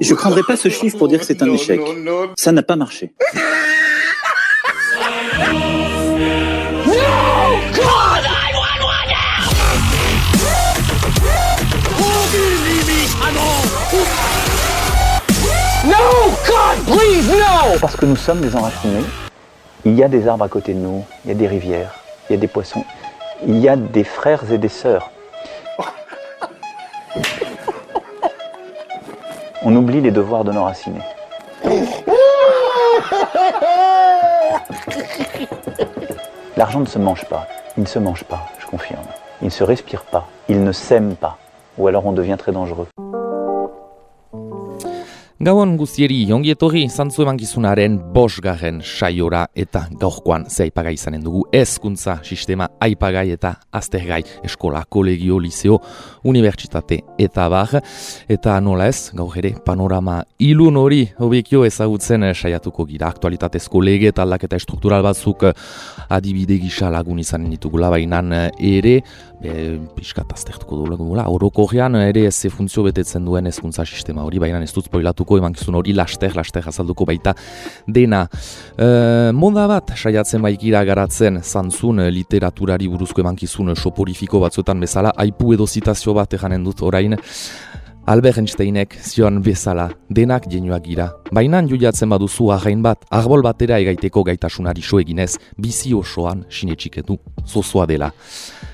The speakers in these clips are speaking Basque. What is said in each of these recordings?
Je ne prendrai pas ce chiffre pour dire que c'est un échec. Ça n'a pas marché. No, God, please, no! Parce que nous sommes des enracinés. Il y a des arbres à côté de nous, il y a des rivières, il y a des poissons, il y a des frères et des sœurs. On oublie les devoirs de nos racinés. L'argent ne se mange pas. Il ne se mange pas, je confirme. Il ne se respire pas. Il ne s'aime pas. Ou alors on devient très dangereux. Gauan guztieri, ongi etorri zantzu emankizunaren 5. saiora eta gaurkoan ze aipagai izanen dugu hezkuntza sistema aipagai eta aztergai eskola, kolegio, liseo, unibertsitate eta bar. Eta nola ez, gaur ere panorama ilun hori hobekio ezagutzen saiatuko gira. Aktualitatezko lege eta aldaketa estruktural batzuk adibide gisa lagun izanen ditugula, bainan ere pixkat aztertuko dugula. Orokorrean ere ez funtzio betetzen duen hezkuntza sistema hori, baina ez dut spoilatuko emankizun hori laster azalduko baita dena. Moda bat saiatzen baikira garatzen zantzun literaturari buruzko emankizun soporifiko batzuetan bezala, aipu edo zitazio bat eganen dut orain. Albert Einsteinek zioan bezala, denak jenuak gira. Baina juiatzen baduzu arrain bat, arbol batera egaiteko gaitasunari so eginez, bizi osoan sinetxiketu, zozoa dela.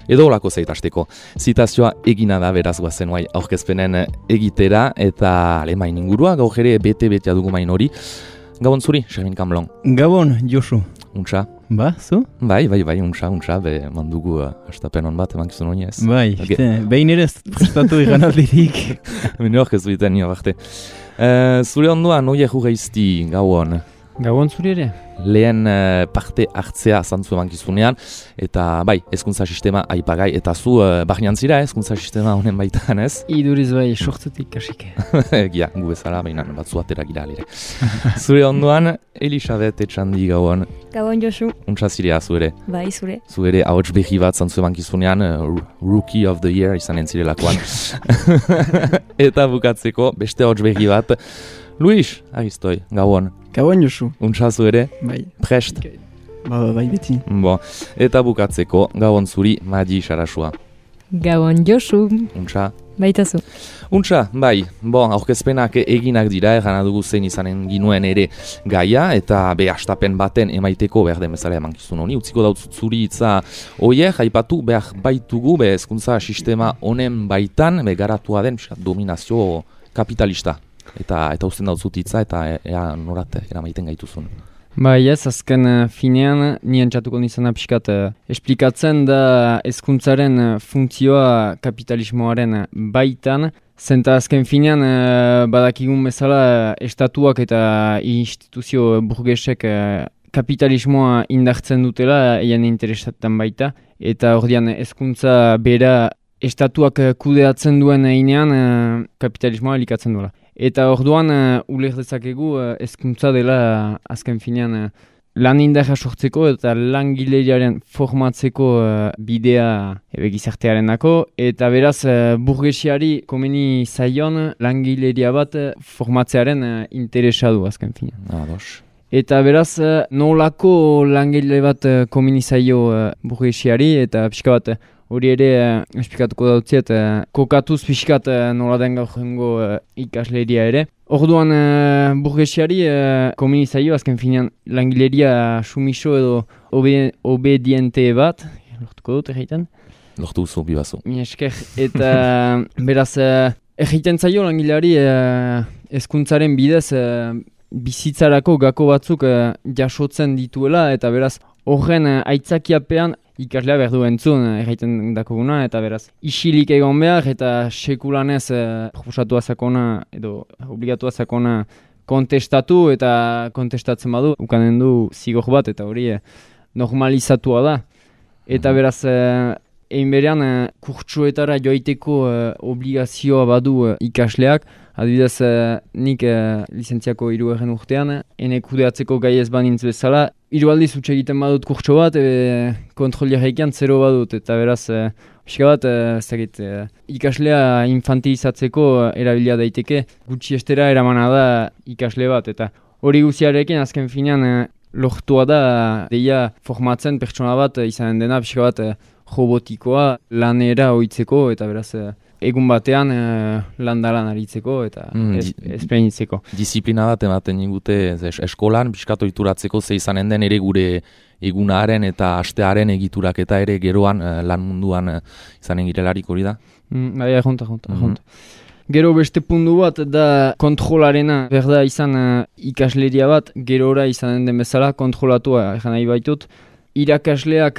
Edo olako zaitasteko, zitazioa egina da beraz guazen guai aurkezpenen egitera, eta alemain ingurua, gaur ere bete-betea dugu main hori. Gabon zuri, Xermin Kamlon. Gabon, Josu. Untxa? Ba, zu? Bai, untxa, mandugu astapen hon bat emankizun honi ez. Bai, behin ere ez prestatu ikan aldirik. Bine hor ez duiten nio barte. Zure onduan, oie jugeizti, gauan. Gabon zuri ere? Lehen parte hartzea zantzu emankizunean, eta bai, hezkuntza sistema aipagai, eta zu barnean zira hezkuntza sistema honen baitan ez? Iduriz bai, sortzetik kasik. Egia, gu bezala, baina batzu atera gira alire. Zure onduan, Elisabet Etxandi gauan. Gabon Josu. Untsa zirea zure. Bai, zure. Zure ahots behi bat zantzu emankizunean, Rookie of the Year izanen zirelakoan. Eta bukatzeko, beste ahots behi bat, Luis, agiztoi, gauan. Gabon Josu. Untsa zure? Bai. Prest? Bai beti. Bo. Eta bukatzeko, gabon zuri, Madi Sarasua. Gabon Josu. Untsa? Baitazu. Untsa, bai. Bo, aurkezpenak eginak dira, gana dugu zein izanen ginuen ere gaia, eta astapen baten emaiteko behar den bezala emankizun honi. Utziko dautzut zuri itza oie, jaipatu behar baitugu, hezkuntza sistema honen baitan, garatua den dominazio kapitalista. Eta uzten dautzut itza, eta norat eramaiten gaituzun. Bai ez, azken finean, nien txatuko nizena pixkat esplikatzen da hezkuntzaren funtzioa kapitalismoaren baitan, zenta azken finean badakigun bezala estatuak eta instituzio burgesek kapitalismoa indartzen dutela eien interesatzen baita, eta ordian hezkuntza bera estatuak kudeatzen duen einean kapitalismoa elikatzen duela. Eta orduan uler dezakegu hezkuntza dela azken finean lan indarra sortzeko eta langileriaren formatzeko bidea gizartearenako, eta beraz burgesiari komeni zaion langileria bat formatzearen interesa du azken finean. Ados. Eta beraz nolako langile bat komeni zaio burgesiari, eta pixka bat hori ere esplikatuko dautziet, kokatuz pixkat nola den gaur jengo ikasleria ere. Orduan burgesiari komeni zaio azken finean langileria sumiso edo obediente bat, lortuko dut egiten? Lortu zu, bibazu. Esker, eta beraz egiten zaio langileari hezkuntzaren bidez bizitzarako gako batzuk jasotzen dituela, eta beraz horren aitzakiapean ikaslea behar du entzun egiten dakoguna, eta beraz isilik egon behar eta sekulanez proposatu azakona edo obligatu azakona kontestatu, eta kontestatzen badu ukanen du zigor bat, eta hori normalizatua da. Eta beraz egin berean kurtsuetara joiteko obligazioa badu ikasleak, Adibidez, nik lizentziako 3. urtean, ene kudeatzeko gai ez banintz bezala, 3 aldiz utxe egiten badut kurtso bat, kontrolia jaikian 0 badut, eta beraz, pixka bat, ikaslea infantilizatzeko erabilia daiteke, gutxi estera eramana da ikasle bat, eta hori guziarekin azken finean lortua da deia formatzen pertsona bat izanen dena pixka bat robotikoa lanera ohitzeko eta beraz egun batean landalan aritzeko eta esplenitzeko. Disiplina bat ematen digute eskolan pixkat ohituratzeko ze izanen den ere gure egunaren eta astearen egiturak eta ere geroan lan munduan izanen girelarik hori da? Bai, junta. Gero beste puntu bat da kontrolarena, berda izan ikasleria bat, gerora izanen den bezala kontrolatua egan nahi baitut. Irakasleak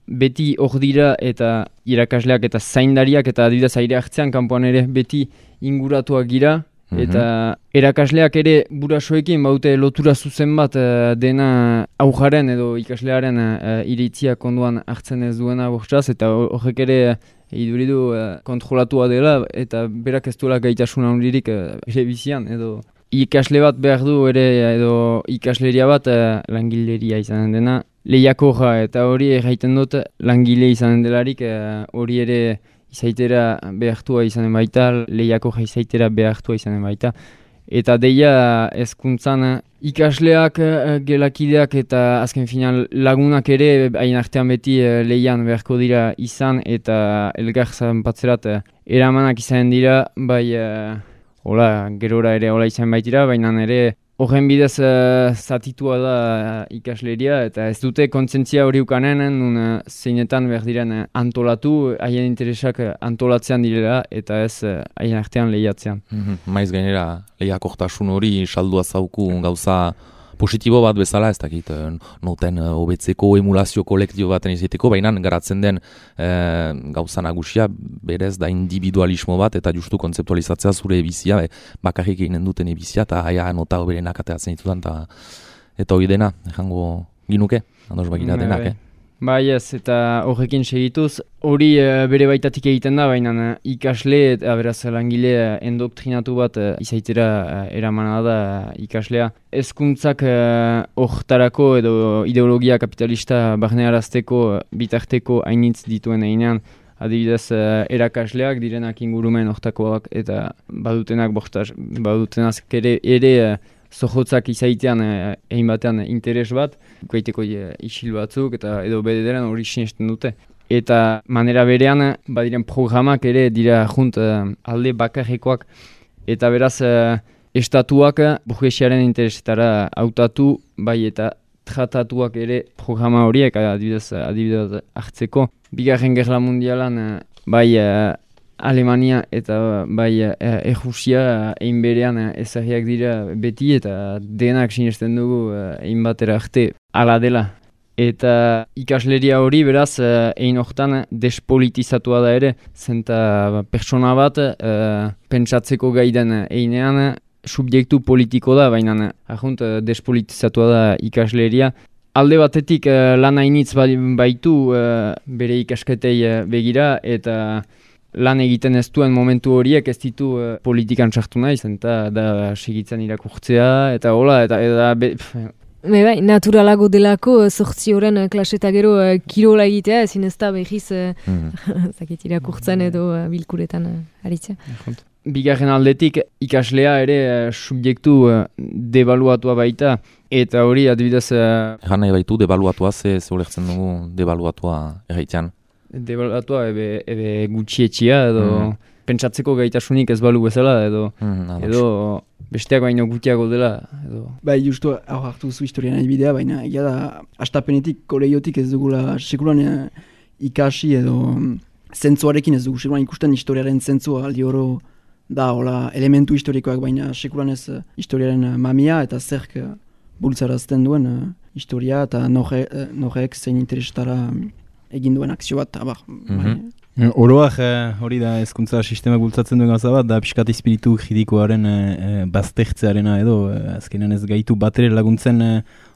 beti hor dira eta irakasleak eta zaindariak eta adibidez aire hartzean kanpoan ere beti inguratuak gira. Eta erakasleak ere burasoekin baute lotura zuzen bat dena aujaren edo ikaslearen iritziak onduan hartzen ez duena bortxaz eta horrek ere iduridu kontrolatua dela eta berak ez duela gaitasuna hondirik ere bizian edo ikasle bat behar du ere edo ikasleria bat langileria izanen dena lehiakorra eta hori erraiten dut langile izanen delarik hori ere izaitera behartua izanen baita, lehiakorra izaitera behartua izanen baita. Eta deia hezkuntzan ikasleak, gelakideak eta azken final lagunak ere hain artean beti lehian beharko dira izan eta elgar zanpatzerat eramanak izanen dira, bai gerora ere hola izan baitira, baina ere horren bidez zatitua da ikasleria eta ez dute kontzientzia hori ukanen nun zeinetan behar diren antolatu, haien interesak antolatzean direla eta ez haien artean lehiatzean. Maiz gainera lehiakortasun hori saldua zauku gauza positibo bat bezala, ez dakit noten hobetzeko emulazio kolektibo baten izateko, baina garatzen den gauza nagusia berez da individualismo bat eta justu kontzeptualizatzea zure bizia, bakarrik eginen duten bizia eta haia nota hoberenak ateatzen ditudan eta hori dena, jango ginuke, andoz bagira denak, Bai ez, eta horrekin segituz, hori bere baitatik egiten da, baina ikasle eta beraz langile endoktrinatu bat izaitera eramana da ikaslea. Hezkuntzak hortarako edo ideologia kapitalista barnearazteko bitarteko hainitz dituen einean, adibidez erakasleak direnak ingurumen hortakoak eta badutenak ere zohotzak izaitean egin batean interes bat, gaiteko isil batzuk eta edo bederen hori sinesten dute. Eta manera berean badiren programak ere dira junt alde bakarrekoak eta beraz estatuak burgesiaren interesetara hautatu bai eta tratatuak ere programa horiek adibidez hartzeko. Bigarren Gerla Mundialan bai Alemania eta bai Errusia egin berean ezagriak dira beti eta denak sinesten dugu egin batera arte ala dela. Eta ikasleria hori beraz egin hortan despolitizatua da ere, zenta persona bat pentsatzeko gaiden einean subjektu politiko da, baina despolitizatua da ikasleria. Alde batetik lan hainitz baitu bere ikasketei begira eta lan egiten ez duen momentu horiek ez ditu politikan sartu nahi, zenta da segitzen irakurtzea eta hola eta Bai, naturalago delako zortzi horren klaseta gero kirola egitea, ezin ez da behiz zakit irakurtzen edo bilkuretan aritzea. Bigarren aldetik ikaslea ere subjektu debaluatua baita eta hori adibidez... Egan nahi baitu debaluatua ze ulertzen dugu debaluatua erraitean? Debaluatua ebe gutxietxia edo pentsatzeko gaitasunik ez balu bezala edo besteak baino gutiago dela. Bai, justu hau hartu zu historian bidea, baina egia da hastapenetik kolegiotik ez dugula sekulan ikasi edo zentzuarekin ez dugu sekulan ikusten historiaren zentzua aldi oro da hola elementu historikoak, baina sekulan ez historiaren mamia eta zerk bultzarazten duen historia eta norek zein interesetara egin duen akzio bat. Oroak hori da hezkuntza sistema bultzatzen duen gauza bat, da pixkat espiritu juridikoaren baztertzearena edo azkenean ez gaitu batere laguntzen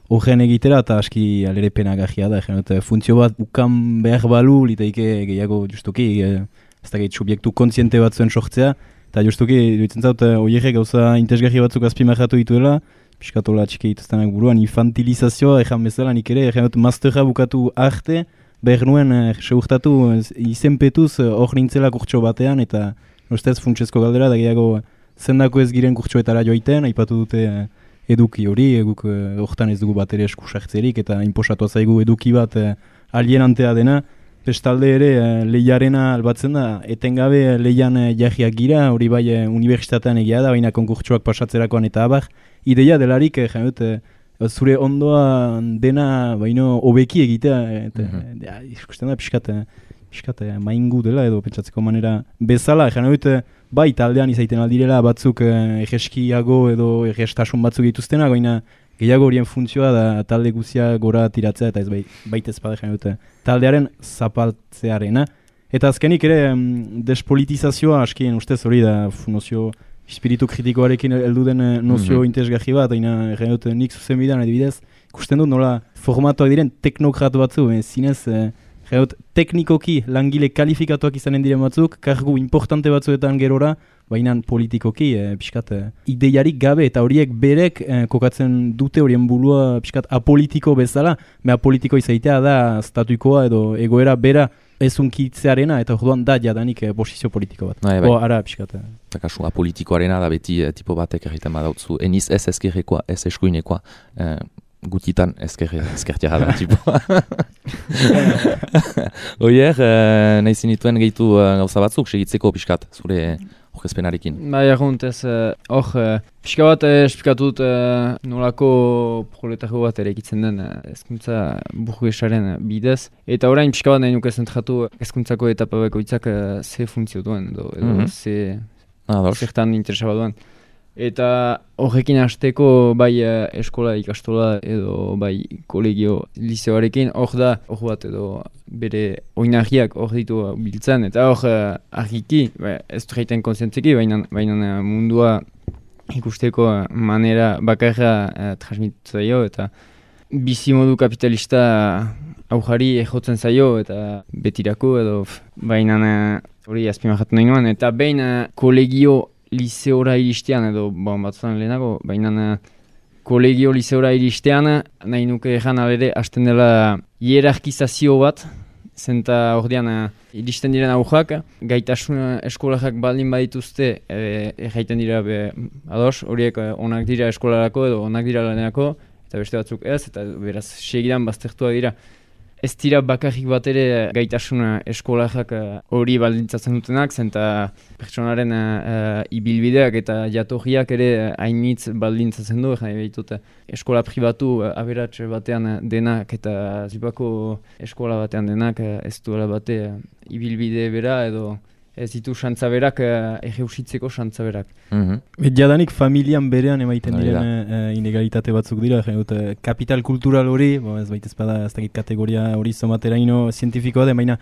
horren egitera eta aski alere penagajia da. Funtzio bat ukan behar balu, litaike gehiago justuki, ez da subjektu kontziente bat zuen sortzea, Eta justuki, duitzen zaut, oierrek gauza interesgarri batzuk azpimarratu dituela, piskatola txiki dituztenak buruan, infantilizazioa ejan bezala nik ere, ejan dut masterra bukatu arte, behar nuen segurtatu izenpetuz hor nintzela kurtso batean, eta ustez funtsezko galdera, da gehiago zendako ez giren kurtsoetara joiten, aipatu dute eduki hori, guk hortan ez dugu bat ere eskusartzerik, eta inposatu zaigu eduki bat alienantea dena, bestalde ere lehiarena albatzen da, etengabe lehian jahiak gira, hori bai unibertsitatean egia da, baina konkurtsoak pasatzerakoan eta abar, ideia delarik, zure ondoa dena baino hobeki egitea, eta ikusten da pixkat maingu dela edo pentsatzeko manera bezala, bai taldean izaiten aldirela batzuk egeskiago edo egestasun batzuk dituztenak, baina gehiago horien funtzioa da talde guzia gora tiratzea eta ez baita ezpada taldearen zapaltzearena. Eta azkenik ere despolitizazioa askien ustez hori da nozio espiritu kritikoarekin heldu den nozio interesgarri bat, baina nik zuzen bidean adibidez, ikusten dut nola formatuak diren teknokratu batzu, zinez teknikoki langile kalifikatuak izanen diren batzuk, kargu importante batzuetan gerora, baina politikoki pixkat ideiarik gabe eta horiek berek kokatzen dute horien burua pixkat apolitiko bezala, apolitiko izaitea da statuikoa edo egoera bera ezunkitzearena eta orduan da jadanik posizio politiko bat. Ara pixkat. Eta kasu apolitikoarena da beti tipo batek egiten badautzu, eniz ez ezkerrekoa, ez eskuinekoa, gutitan ezkertiara da tipoa. Oier, nahi zinituen gehitu gauza batzuk, segitzeko pixkat, zure horrezpenarekin. Bai, aguntez, pixka bat esplikatut nolako proletargo bat ere egitzen den hezkuntza burgesaren bidez. Eta orain pixka bat nahi nuke zentratu hezkuntzako etapa bakoitzak ze funtzio duen, edo zertan interesa bat duen. Eta horrekin hasteko bai eskola ikastola edo bai kolegio liceoarekin hor bat edo bere oinarriak hor ditu biltzen eta hor argiki, ez du jaiten kontzientzeki, baina mundua ikusteko manera bakarra transmititu zaio eta bizimodu kapitalista aujari ejotzen zaio eta betirako edo baina hori azpimarratu nahi nuen eta behin kolegio liceora iristean edo batzutan lehenago, baina kolegio liceora iristean nahi nuke egan alere hasten dela hierarkizazio bat, zenta ordean iristen diren aujak, gaitasun eskolajak baldin badituzte erraiten dira ados, horiek onak dira eskolarako edo onak dira lanerako, eta beste batzuk ez, eta beraz segidan baztertua dira. Ez dira bakarrik bat ere gaitasun eskolajak hori baldintzatzen dutenak, zenta pertsonaren ibilbideak eta jatorriak ere hainitz baldintzatzen du, eskola pribatu aberats batean denak eta zipako eskola batean denak ez duela bate ibilbide bera edo ez ditu xantzaberak egeusitzeko xantzaberak. Jadanik familian berean emaiten diren inegalitate batzuk dira, kapital kultural hori, ez baita ezpada ez dakit kategoria hori zomateraino zientifikoa den, baina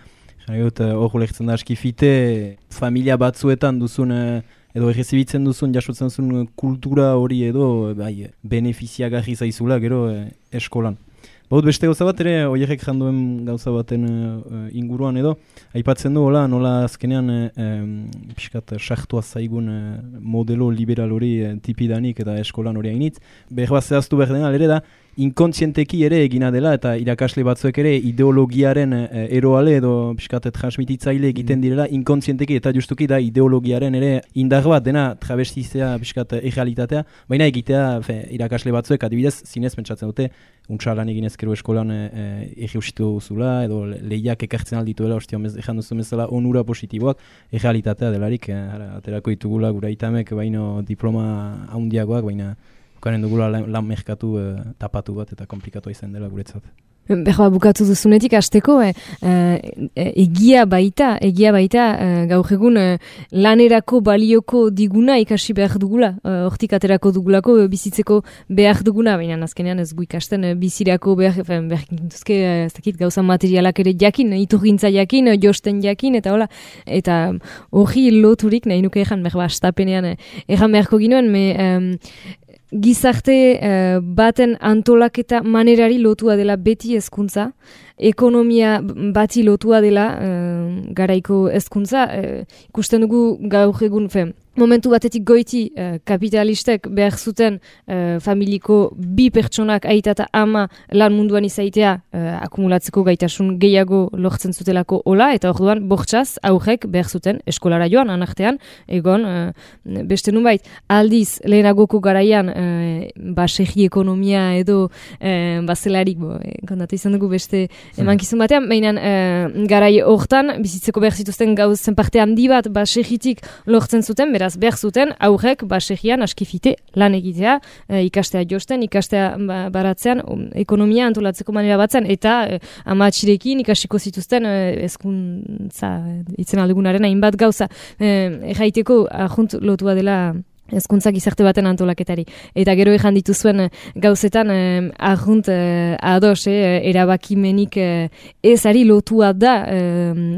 hor lehtzen da aski fite, familia batzuetan duzun edo errezibitzen duzun, jasotzen duzun kultura hori edo benefiziagarri zaizula gero eskolan. Baut beste gauza bat ere, oierrek janduen gauza baten inguruan edo, aipatzen du nola azkenean pixkat sartua zaigun modelo liberal hori tipidanik eta eskolan hori hainitz. Behar bat zehaztu behar dena, ere da, inkontzienteki ere egina dela eta irakasle batzuek ere ideologiaren eroale edo pixkat transmititzaile egiten direla inkontzienteki eta justuki da ideologiaren ere indar bat dena travestizea pixkat errealitatea, baina egitea irakasle batzuek adibidez zinez pentsatzen dute untxalan egin ezkero eskolan erreusitu zula edo lehiak ekartzen aldituela ezan duzu bezala onura positiboak errealitatea delarik aterako ditugula gura itamek baino diploma handiagoak baina ukaren dugula lan merkatu tapatu bat eta komplikatu izan dela guretzat. Behar bukatu duzunetik hasteko egia baita gaur egun lanerako balioko diguna ikasi behar dugula, hortik aterako dugulako bizitzeko behar duguna, baina azkenean ez gu ikasten bizirako behar gintuzke gauza materialak ere jakin, iturgintza jakin, josten jakin, eta hola, eta hori loturik nahi nuke egan behar astapenean egan beharko ginoen, gizarte baten antolaketa manerari lotua dela beti hezkuntza, ekonomia bati lotua dela garaiko hezkuntza, ikusten dugu gaur egun momentu batetik goiti kapitalistek behar zuten familiko bi pertsonak aita eta ama lan munduan izaitea akumulatzeko gaitasun gehiago lortzen zutelako hola, eta orduan bortxaz aurrek behar zuten eskolara joan anartean, egon beste nunbait aldiz lehenagoko garaian basegi ekonomia edo bazelarik kontatu izan dugu beste emankizun batean, mainan garai hortan bizitzeko behar zituzten gauzen parte handi bat basegitik lortzen zuten, beraz behar zuten aurrek basegian askifite lan egitea, ikastea josten, ikastea baratzean, ekonomia antolatzeko manera batzen, eta amatxirekin ikasiko zituzten hezkuntza itzen aldugunaren hainbat gauza. Erraiteko ajunt lotua dela hezkuntza gizarte baten antolaketari. Eta gero ejan dituzuen gauzetan ajunt ados, erabakimenik ezari lotua da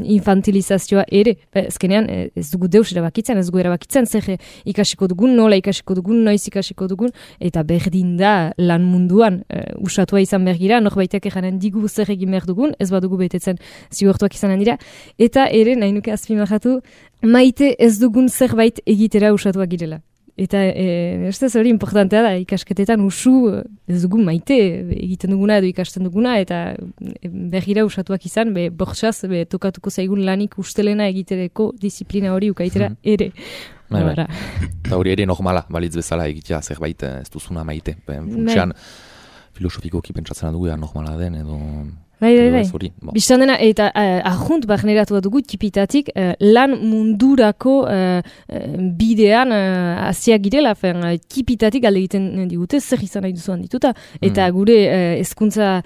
infantilizazioa ere. Ezkenean ez dugu deus erabakitzen, ez dugu erabakitzen zer ikasiko dugun, nola ikasiko dugun, noiz ikasiko dugun, eta berdin da lan munduan usatua izan bergira, norbaitek ejanen digu zer egin behar dugun, ez badugu betetzen zigortuak izanen dira, eta ere nahi nuke azpimarratu, maite ez dugun zerbait egitera usatuak girela. Eta ez hori importantea da, ikasketetan usu ez dugu maite egiten duguna edo ikasten duguna, eta bergira usatuak izan, bortxaz tokatuko zaigun lanik ustelena egitereko disiplina hori ukaitera ere. Eta hori ere normala, balitz bezala egitea zerbait ez duzuna maite. Funtsean filosofikoki pentsatzen dugu normala den edo... Bai. Bistan dena, eta ajunt barneratu bat dugu tipitatik lan mundurako bidean aziak girela, tipitatik alde egiten digute, zer izan nahi duzuan dituta. Eta gure hezkuntza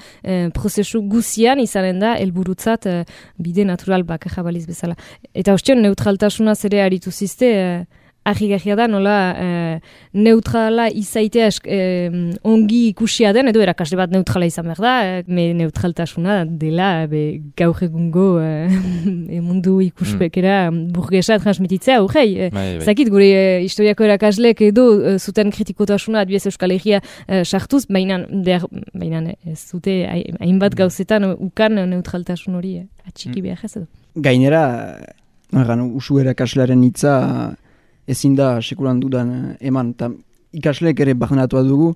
prozesu guzian izanen da, helburutzat bide natural bakarra baliz bezala. Eta ostion, neutraltasuna zere aritu zizte, argi-garria da, nola neutrala izaitea ongi ikusia den, edo erakasle bat neutrala izan behar da, neutraltasuna dela gaur egungo mundu ikuspekera burgesa transmititzea, urgei. Zakit, gure historiako erakaslek edo zuten kritikotasuna adibidez Euskal Herria sartuz, baina ez zute hainbat gauzetan ukan neutraltasun hori atxiki behar ez edo. Gainera, usu erakaslearen hitza ezin da sekulan dudan eman, eta ikasleek ere barnenatua dugu,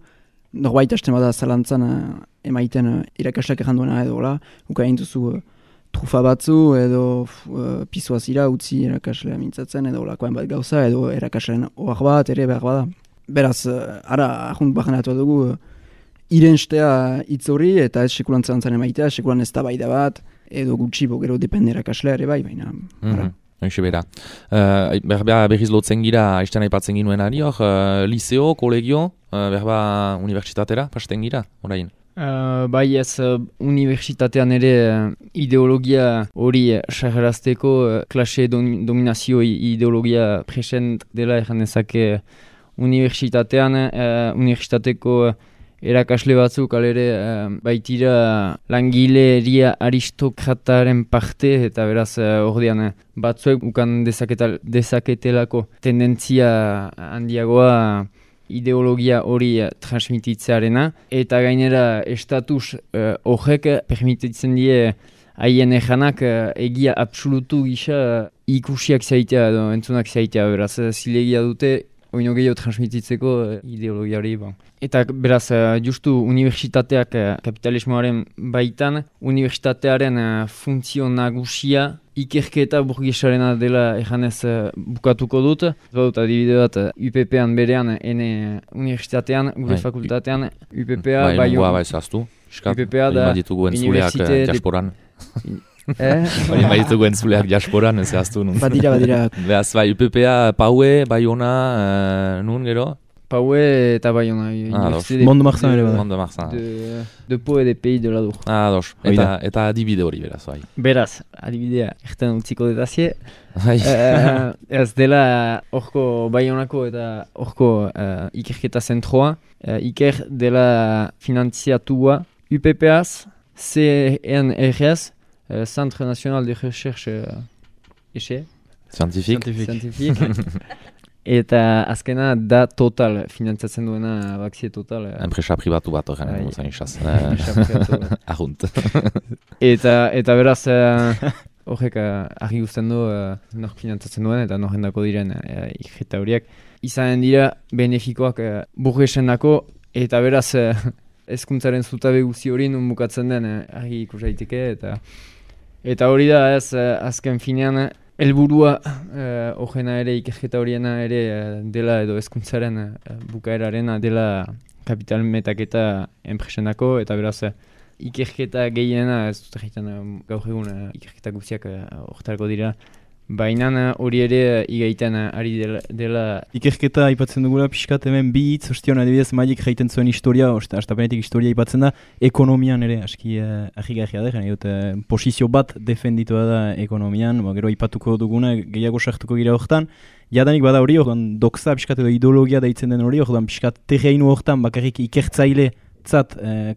norbait hasten bada zalantzan emaiten irakasleak ejan duena edo, uka egin duzu trufa batzu edo pisoa zira utzi irakaslea mintzatzen edo lakoen bat gauza edo irakasleen ohar bat ere behar bada. Beraz, ara ahunt barnenatua dugu irenstea hitz hori eta ez sekulan zalantzan emaitea, sekulan ez da baida bat edo gutxi gero depende irakaslea ere baina ara. Hoxe bera. Berriz lotzen gira, aizten aipatzen ginuen ari, liceo, kolegio, unibertsitatera, pasten gira, orain? Bai ez, unibertsitatean ere ideologia hori sarrazteko klase dominazio ideologia present dela egan ezake unibertsitatean, unibertsitateko erakasle batzuk alere baitira langileria aristokrataren parte eta beraz ordean batzuek ukan dezaketelako tendentzia handiagoa ideologia hori transmititzearena eta gainera estatus horrek permititzen die haien ejanak egia absolutu gisa ikusiak zaitea edo entzunak zaitea beraz zilegia dute oino gehiago transmititzeko ideologia hori. Eta beraz, justu unibertsitateak kapitalismoaren baitan, unibertsitatearen funtzio nagusia ikerketa burgesarena dela ejanez bukatuko dut. Badut adibide bat UPP-an berean, ene unibertsitatean, gure fakultatean, UPP-a UPP-a da unibertsite diasporan. Hori maitugu entzuleak diasporan, ez zehaztu nun. Badira. Beaz, bai, UPP-a, Paue, Baiona, nun gero? Paue eta Baiona. Mondo Marzan ere bada. Mondo Marzan. De Pau et des Pays de l'Adour. Dos. Eta adibide hori beraz, bai. Beraz, adibidea, erten utziko detazie. Ez dela horko Baionako eta horko ikerketa zentroa. Iker dela finantziatua UPP-az, CNRS, Centre National de Recherche scientifique. Eta azkena da Total, finantzatzen duena Baxi Total. Enpresa pribatu bat horren zen isaz. Ahunt. Eta beraz, horrek argi guztien du nork finantzatzen duen eta norrendako diren ikerketa horiek. Izanen dira benefikoak burgesen dako, eta beraz hezkuntzaren zutabe guzi hori nun bukatzen den argi ikus daiteke eta hori da ez azken finean helburua horrena ere ikerketa horiena ere dela edo hezkuntzaren bukaerarena dela kapital metaketa enpresenako eta beraz ikerketa gehiena ez dut egiten gaur egun ikerketa guztiak horretarako dira. Baina hori ere igaiten ari dela... Ikerketa aipatzen dugula pixkat hemen bi hitz, ostion adibidez Maiek jaiten zuen historia, astapenetik historia aipatzen da, ekonomian ere, aski ahigarria da, posizio bat defenditua da ekonomian, gero aipatuko duguna, gehiago sartuko gira horretan, jadanik bada hori, doxa pixkat edo ideologia deitzen den hori, pixkat terreinu horretan bakarrik ikertzaile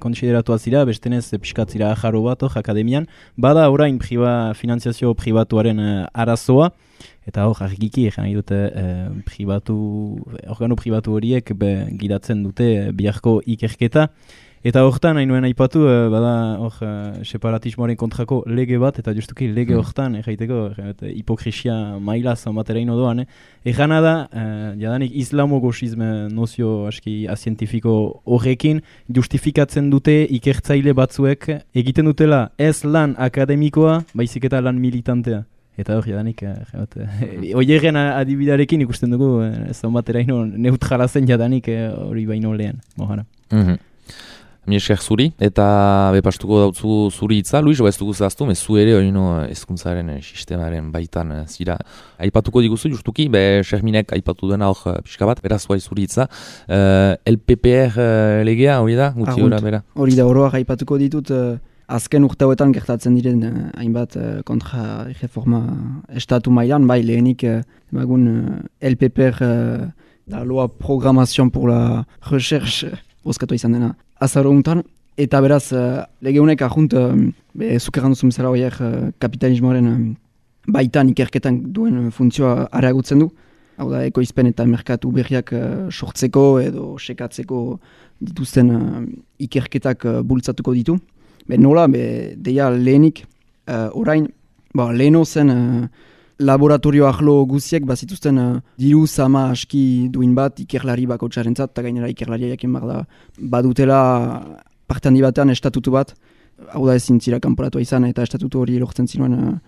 konsideratu azira, bestenez piskatzira ajaro bat akademian, bada orain finanziazio pribatuaren arazoa, eta argiki egin dute organo pribatu horiek gidatzen dute biharko ikerketa, eta horretan hain nuen aipatu, bada separatismoaren kontrako lege bat, eta justuki lege horretan, hipokrisia maila zanbateraino doan, egana da, jadanik islamo-gosizme nozio aski azientifiko horrekin, justifikatzen dute ikertzaile batzuek egiten dutela ez lan akademikoa, baizik eta lan militantea. Eta hori, jadanik, oieren adibidarekin ikusten dugu, zanbateraino neutrala zen jadanik hori baino lehen, mohara. Miesker zuri, eta bepastuko dautzu zuri hitza, Luis, ez dugu zehaztu, zu ere hezkuntzaren sistemaren baitan zira. Aipatuko diguzu, justuki, Xerminek aipatu dena hor pixka bat, beraz guai zuri hitza. LPPR legea, hori da? Hori da, oroak aipatuko ditut, azken urtauetan gertatzen diren hainbat kontra reforma estatu mailan, bai lehenik LPPR, la loi programmation pour la recherche, bozkatu izan dena. Azaro untan, eta beraz, legeunek ahunt, zukerran duzun bezala horiek kapitalismoaren baitan ikerketan duen funtzioa areagutzen du. Hau da, ekoizpen eta merkatu berriak sortzeko edo sekatzeko dituzten ikerketak bultzatuko ditu. Nola, deia lehenik, orain, leheno zen laboratorio ahlo guziek bazituzten diru sama aski duin bat ikerlari bakotxarentzat, eta gainera ikerlaria jakin da badutela parte handi batean estatutu bat, hau da ezin zira kanporatua izan eta estatutu hori lortzen zinuen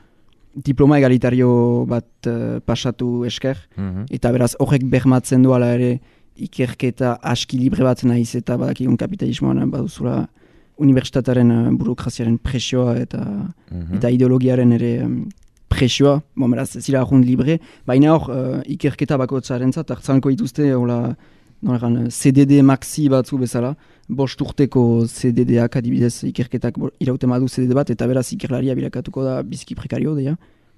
diploma egalitario bat pasatu esker, eta beraz horrek bermatzen du ala ere ikerketa aski libre bat nahiz eta badakigun kapitalismoan baduzula unibertsitataren burokraziaren presioa eta ideologiaren ere presioa, beraz zira ahun libre, baina hor ikerketa bakotzarentzat hartzanko dituzte CDD maxi batzu bezala, 5 urteko CDD-ak adibidez ikerketak irauten badu CDD bat, eta beraz ikerlaria bilakatuko da biziki prekario deia,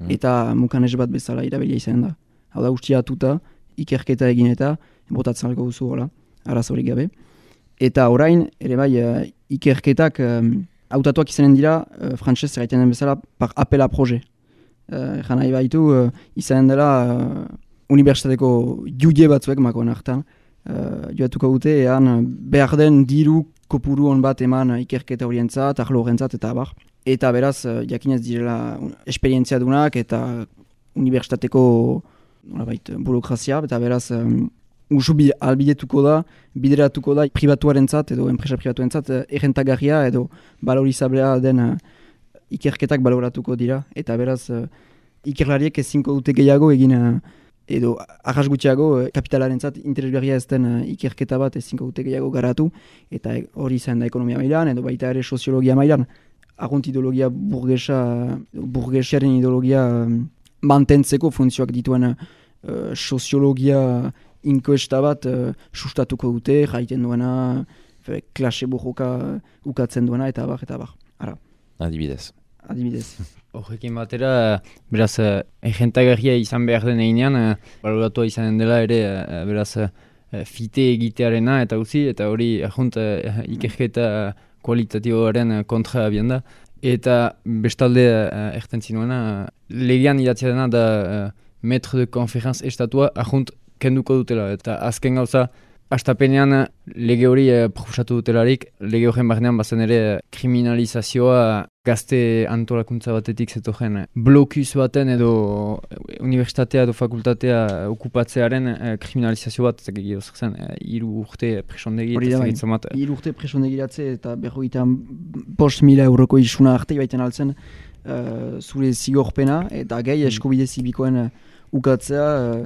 eta mukanez bat bezala irabilia izan da. Hau da ustia atuta, ikerketa egin eta botatzen alko duzu arazorik gabe. Eta orain, ere bai, ikerketak hautatuak izanen dira, frantzez erraiten den bezala, par appel a projet. Nahi baitu, izanen dela unibertsitateko jude batzuek makoen hartan, joatuko dute, ean behar den diru kopuru hon bat eman ikerketa horientzat, ahlo horrentzat eta abar. Eta beraz, jakinez direla esperientzia dunak eta unibertsitateko burokrazia, eta beraz, usu albidetuko da, bideratuko da pribatuarentzat edo enpresa pribatuarentzat errentagarria edo valorizablea den ikerketak baloratuko dira, eta beraz ikerlariek ezinko dute gehiago egin edo arras gutxiago kapitalarentzat interesgarria ez den ikerketa bat ezinko dute gehiago garatu, eta hori izan da ekonomia mailan edo baita ere soziologia mailan. Argunt ideologia burgesiaren ideologia mantentzeko funtzioak dituen soziologia inkoesta bat sustatuko dute, jaiten duena, klase burroka ukatzen duena, eta abar. Ara. Adibidez. Horrekin batera, beraz, egentagarria izan behar den einean, baloratua izanen dela ere, beraz, fite egitearena eta uzi, eta hori ikerketa kualitatiboaren kontra abian da. Eta bestalde erten zinuena, legean idatzea dena da maître de conférence estatua, ahunt kenduko dutela, eta azken gauza, hastapenean lege hori proposatu dutelarik, lege horren barnean bazen ere kriminalizazioa gazte antolakuntza batetik zetogen blokuz baten edo universitatea edo fakultatea okupatzearen kriminalizazio bat egio zen 3 urte presondegi eta zegitzen bat. 3 urte presondegiratze eta 5.000 euroko isuna arte baiten altzen zure zigorpena eta gehi eskubide zibikoen ukatzea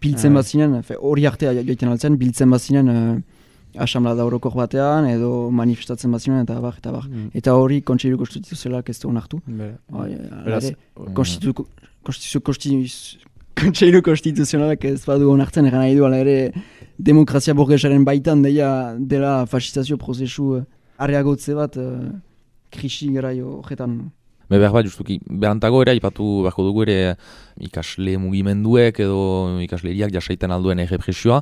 biltzen bazinen, hori artea joiten altzen, biltzen bazinen asamblada orokor batean edo manifestatzen bazinen eta bar. Eta hori kontseilu konstituzionalak ez du onartu. Kontseilu konstituzionalak ez badu onartzen, egan nahi du, ala ere demokrazia burgesaren baitan dela fasistazio prozesu areagotze bat krisi garaio horretan. Behar bat, justuki, berantago ere, ipatu beharko dugu ere ikasle mugimenduek edo ikasleriak jasaiten alduen errepresioa.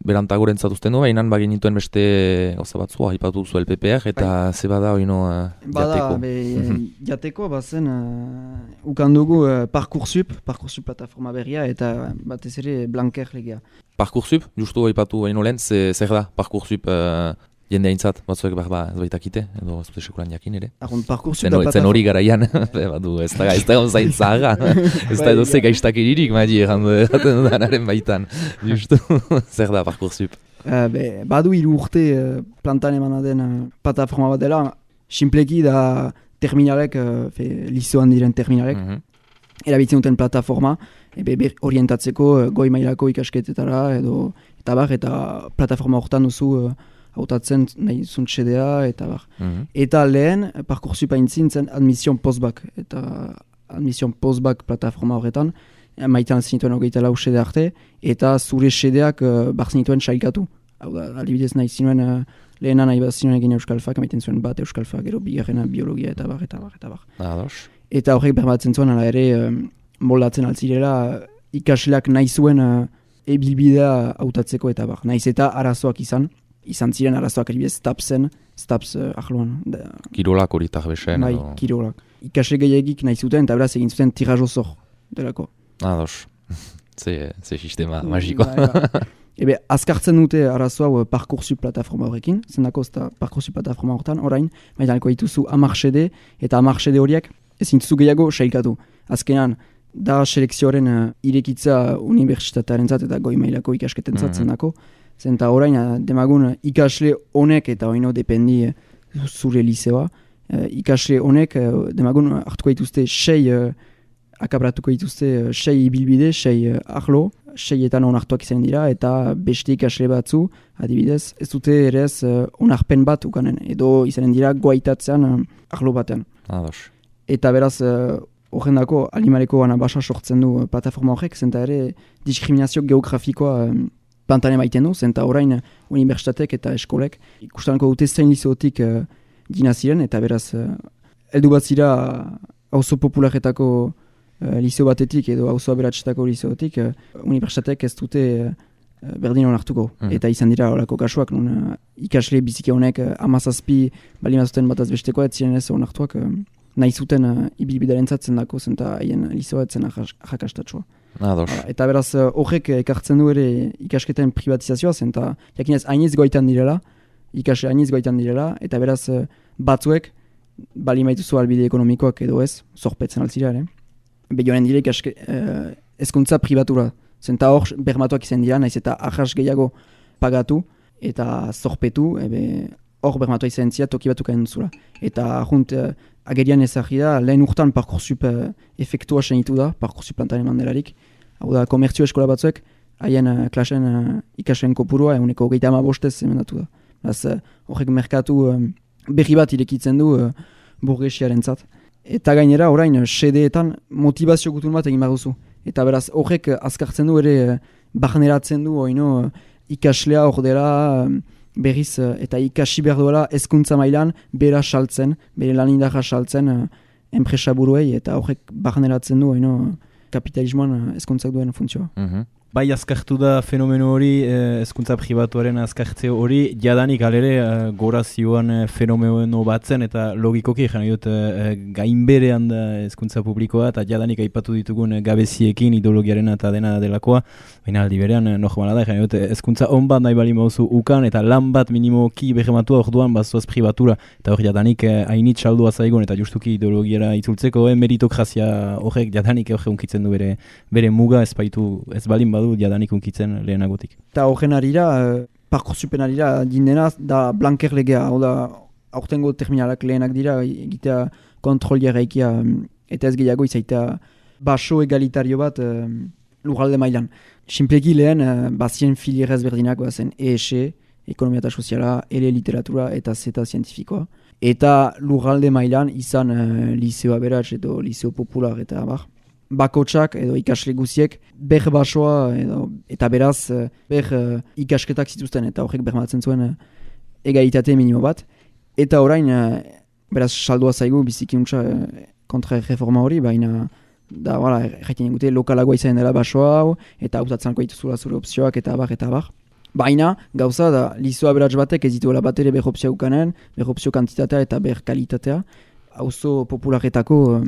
Berantago rentzatuzten du, baina bagenituen beste gauza batzua, ipatu zu LPPR eta ze bada oino jateko. Jateko, bazen, ukandugu Parcoursup plataforma berria eta batez ere Blanquer legea. Parcoursup, justu ipatu baino lehen, zer da Parcoursup jende haintzat, batzuek ez baitakite, edo ez dute sekulan jakin ere. Zen hori garaian, ez da onzain zahaga, ez da edo ze gaiztakiririk madi erraten dudanaren baitan. Justu, zer da Parcoursup? Badu 3 urte plantan emana den plataforma bat dela, simpleki da terminalek, lizoan diren terminalek, erabiltzen duten plataforma, orientatzeko goi mailako ikasketetara, eta plataforma horretan duzu hautatzen nahi zuntxedea, eta bar. Eta lehen, Parcoursup haintzintzen admission postbac, eta admission postbac plataforma horretan, maitan zinituen 24 xede arte, eta zure xedeak zinituen sailkatu. Hau da, alibidez nahi zinuen lehena nahi bat zinuen egin euskalfak, maiten zuen bat euskalfak, gero bigarrena biologia, eta bar. Eta horrek berbatzen zuen, ala ere, moldatzen altzirela, ikasleak nahi zuen ebilbidea hautatzeko, eta bar. Nahiz eta arazoak izan ziren arazoak eribidez Staps ahloan. Kirolak hori besen. Bai, kirolak. Ikasle gehiagik nahi zuten, eta beraz egin zuten tirajo zor delako. Ados, ze sistema magiko. Azkartzen dute arazo hau Parcoursup plataforma horrekin, zendako ez da Parcoursup plataforma horretan, orain, maitaneko dituzu 10 xede, eta 10 xede horiek ezin duzu gehiago sailkatu. Azkenan, da selekzioaren irekitza unibertsitatearen zat eta goi mailako ikasketen zat zendako. Zenta orain, demagun ikasle honek eta oino dependi zure liceoa. Ikasle honek, demagun hartuko dituzte 6, akabratuko dituzte 6 ibilbide, 6 ahlo, 6etan onartuak izan dira, eta beste ikasle batzu, adibidez, ez dute ere ez onarpen bat ukanen, edo izanen dira goaitatzean ahlo batean. Eta beraz, horrendako animaleko gana basa sortzen du plataforma horrek, zenta ere diskriminazio geografikoa plantane maiten du, zenta orain unibertsitatek eta eskolek ikustaneko dute zein liceotik dina ziren, eta beraz heldu bat zira auzo popularetako liceo batetik edo auzo aberatsetako liceotik, unibertsitatek ez dute berdin onartuko. Eta izan dira horako kasuak, non ikasle biziki honek 17 balimazuten bataz bestekoa, ez ziren ez onartuak nahi zuten ibilbidaren zatzen dako, zenta haien liceoa etzen jakastatsua. Eta beraz, horrek ekartzen du ere ikasketen privatizazioa, zenta jakinez hainiz goitan direla, ikasle hainiz goitan direla, eta beraz batzuek bali maituzu albide ekonomikoak edo ez, zorpetzen altzira ere. Begionen dire ezkuntza privatura, zenta hor bermatuak izan dira, naiz eta ahas gehiago pagatu eta zorpetu, hor bermatua izan zira toki batuk hain zula. Eta junt, agerian ezagri da, lehen urtan Parcoursup efektua senitu da, Parcoursup plantan eman delarik. Hau da, komertzio eskola batzuek, haien klasen ikasleen kopurua, eguneko 35 emendatu da. Beraz, horrek merkatu berri bat irekitzen du burgesiaren zat. Eta gainera, orain, xedeetan motivazio gutun bat egin behar duzu. Eta beraz, horrek azkartzen du ere barneratzen du, oino, ikaslea hor dela, berriz eta ikasi behar duela hezkuntza mailan bera saltzen, bere lanindarra saltzen enpresa buruei, eta horrek barneratzen du kapitalismoan hezkuntzak duen funtzioa. bai azkartu da fenomeno hori, hezkuntza pribatuaren azkartze hori, jadanik alere gora zioan fenomeno batzen, eta logikoki jena dut gainberean da hezkuntza publikoa, eta jadanik aipatu ditugun gabeziekin ideologiaren eta dena delakoa, baina aldi berean normala da, jena dut hezkuntza on bat nahi bali mauzu ukan, eta lan bat minimoki behematua orduan bazuaz pribatura, eta hor jadanik hainit saldua zaigun, eta justuki ideologiara itzultzeko, meritokrazia horrek jadanik horre unkitzen du bere muga ez balin badu jadanik unkitzen lehenagotik. Eta horren arira, Parkoursupen arira dindenaz, da blanker legea, hau da, aurtengo terminalak lehenak dira, egitea kontrolia reikia, eta ez gehiago izaitea baso egalitario bat lurralde mailan. Sinpleki lehen, bazien filierez berdinak bazen ESE, ekonomia eta soziala, ele literatura eta zeta zientifikoa. Eta lurralde mailan izan liceo aberats edo liceo popular eta bar. Bakotsak edo ikasle guziek ber basoa eta beraz ber ikasketak zituzten eta horrek bermatzen zuen egalitate minimo bat. Eta orain beraz saldua zaigu biziki untsa kontra-reforma hori, baina da jaiten egute lokalagoa izan dela basoa hau eta hautatzanko dituzula zure opzioak eta bar. Baina gauza da liceo aberats batek ez dituela bat ere ber opzio ukanen, ber opzio kantitatea eta ber kalitatea. Auzo popularetako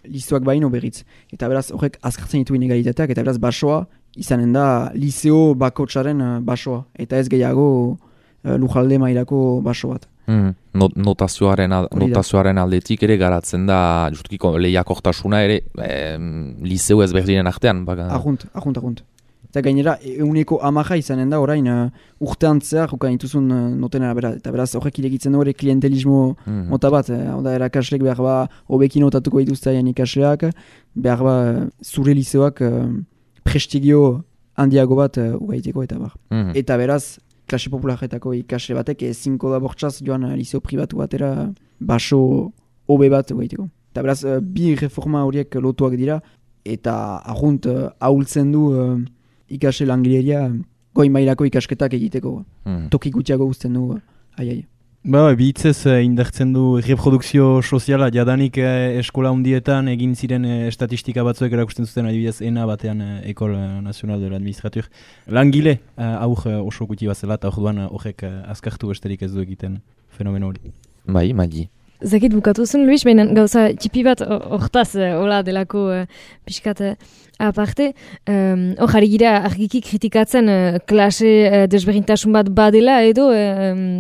liceoak baino berriz. Eta beraz horrek azkartzen ditu inegalitateak, eta beraz basoa izanen da liceo bakotsaren basoa. Eta ez gehiago lujalde mailako baso bat. Notazioaren aldetik ere garatzen da justukiko lehiakortasuna ere liceo ezberdinen artean. Ajunt. Eta gainera, 100% izanen da orain urtean zehar jukan dituzun notenera bera. Eta beraz horrek iregitzen du ere klientelismo mota bat. Hau da, erakaslek behar ba hobekin notatuko dituzteaien ikasleak, behar ba zure liceoak prestigio handiago bat ugaiteko eta bar. Eta beraz, klase popularetako ikasle batek ezinko da bortxaz joan liceo pribatu batera baso hobe bat ugaiteko. Eta beraz, bi reforma horiek lotuak dira, eta ajunt ahultzen du ikasle langileria goi mailako ikasketak egiteko. Toki gutxiago guzten du. Bihitzez indartzen du reprodukzio soziala, jadanik eskola hundietan egin ziren estatistika batzuek erakusten zuten adibidez ENA batean École Nationale de l'Administrature. Langile aur oso gutxi bat zela eta orduan horrek azkartu besterik ez du egiten fenomeno hori. Bai, Magi. Zakit bukatu zen, Luis, baina gauza txipi bat hortaz hola delako pixkat aparte. Jarri gira argiki kritikatzen klase desberdintasun bat badela edo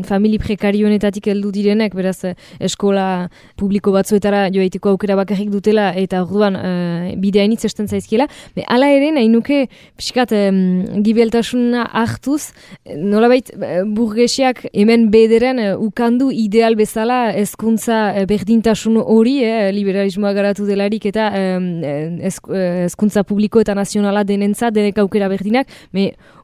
famili prekarionetatik heldu direnek, beraz eskola publiko batzuetara joaiteko aukera bakarrik dutela eta orduan bideainitz esten zaizkiela. Hala ere, nahi nuke pixkat gibeltasuna hartuz, nolabait burgesiak hemen bederen ukandu ideal bezala hezkuntza berdintasun hori, liberalismoa garatu delarik eta hezkuntza publiko eta nazionala denentzat, denek aukera berdinak,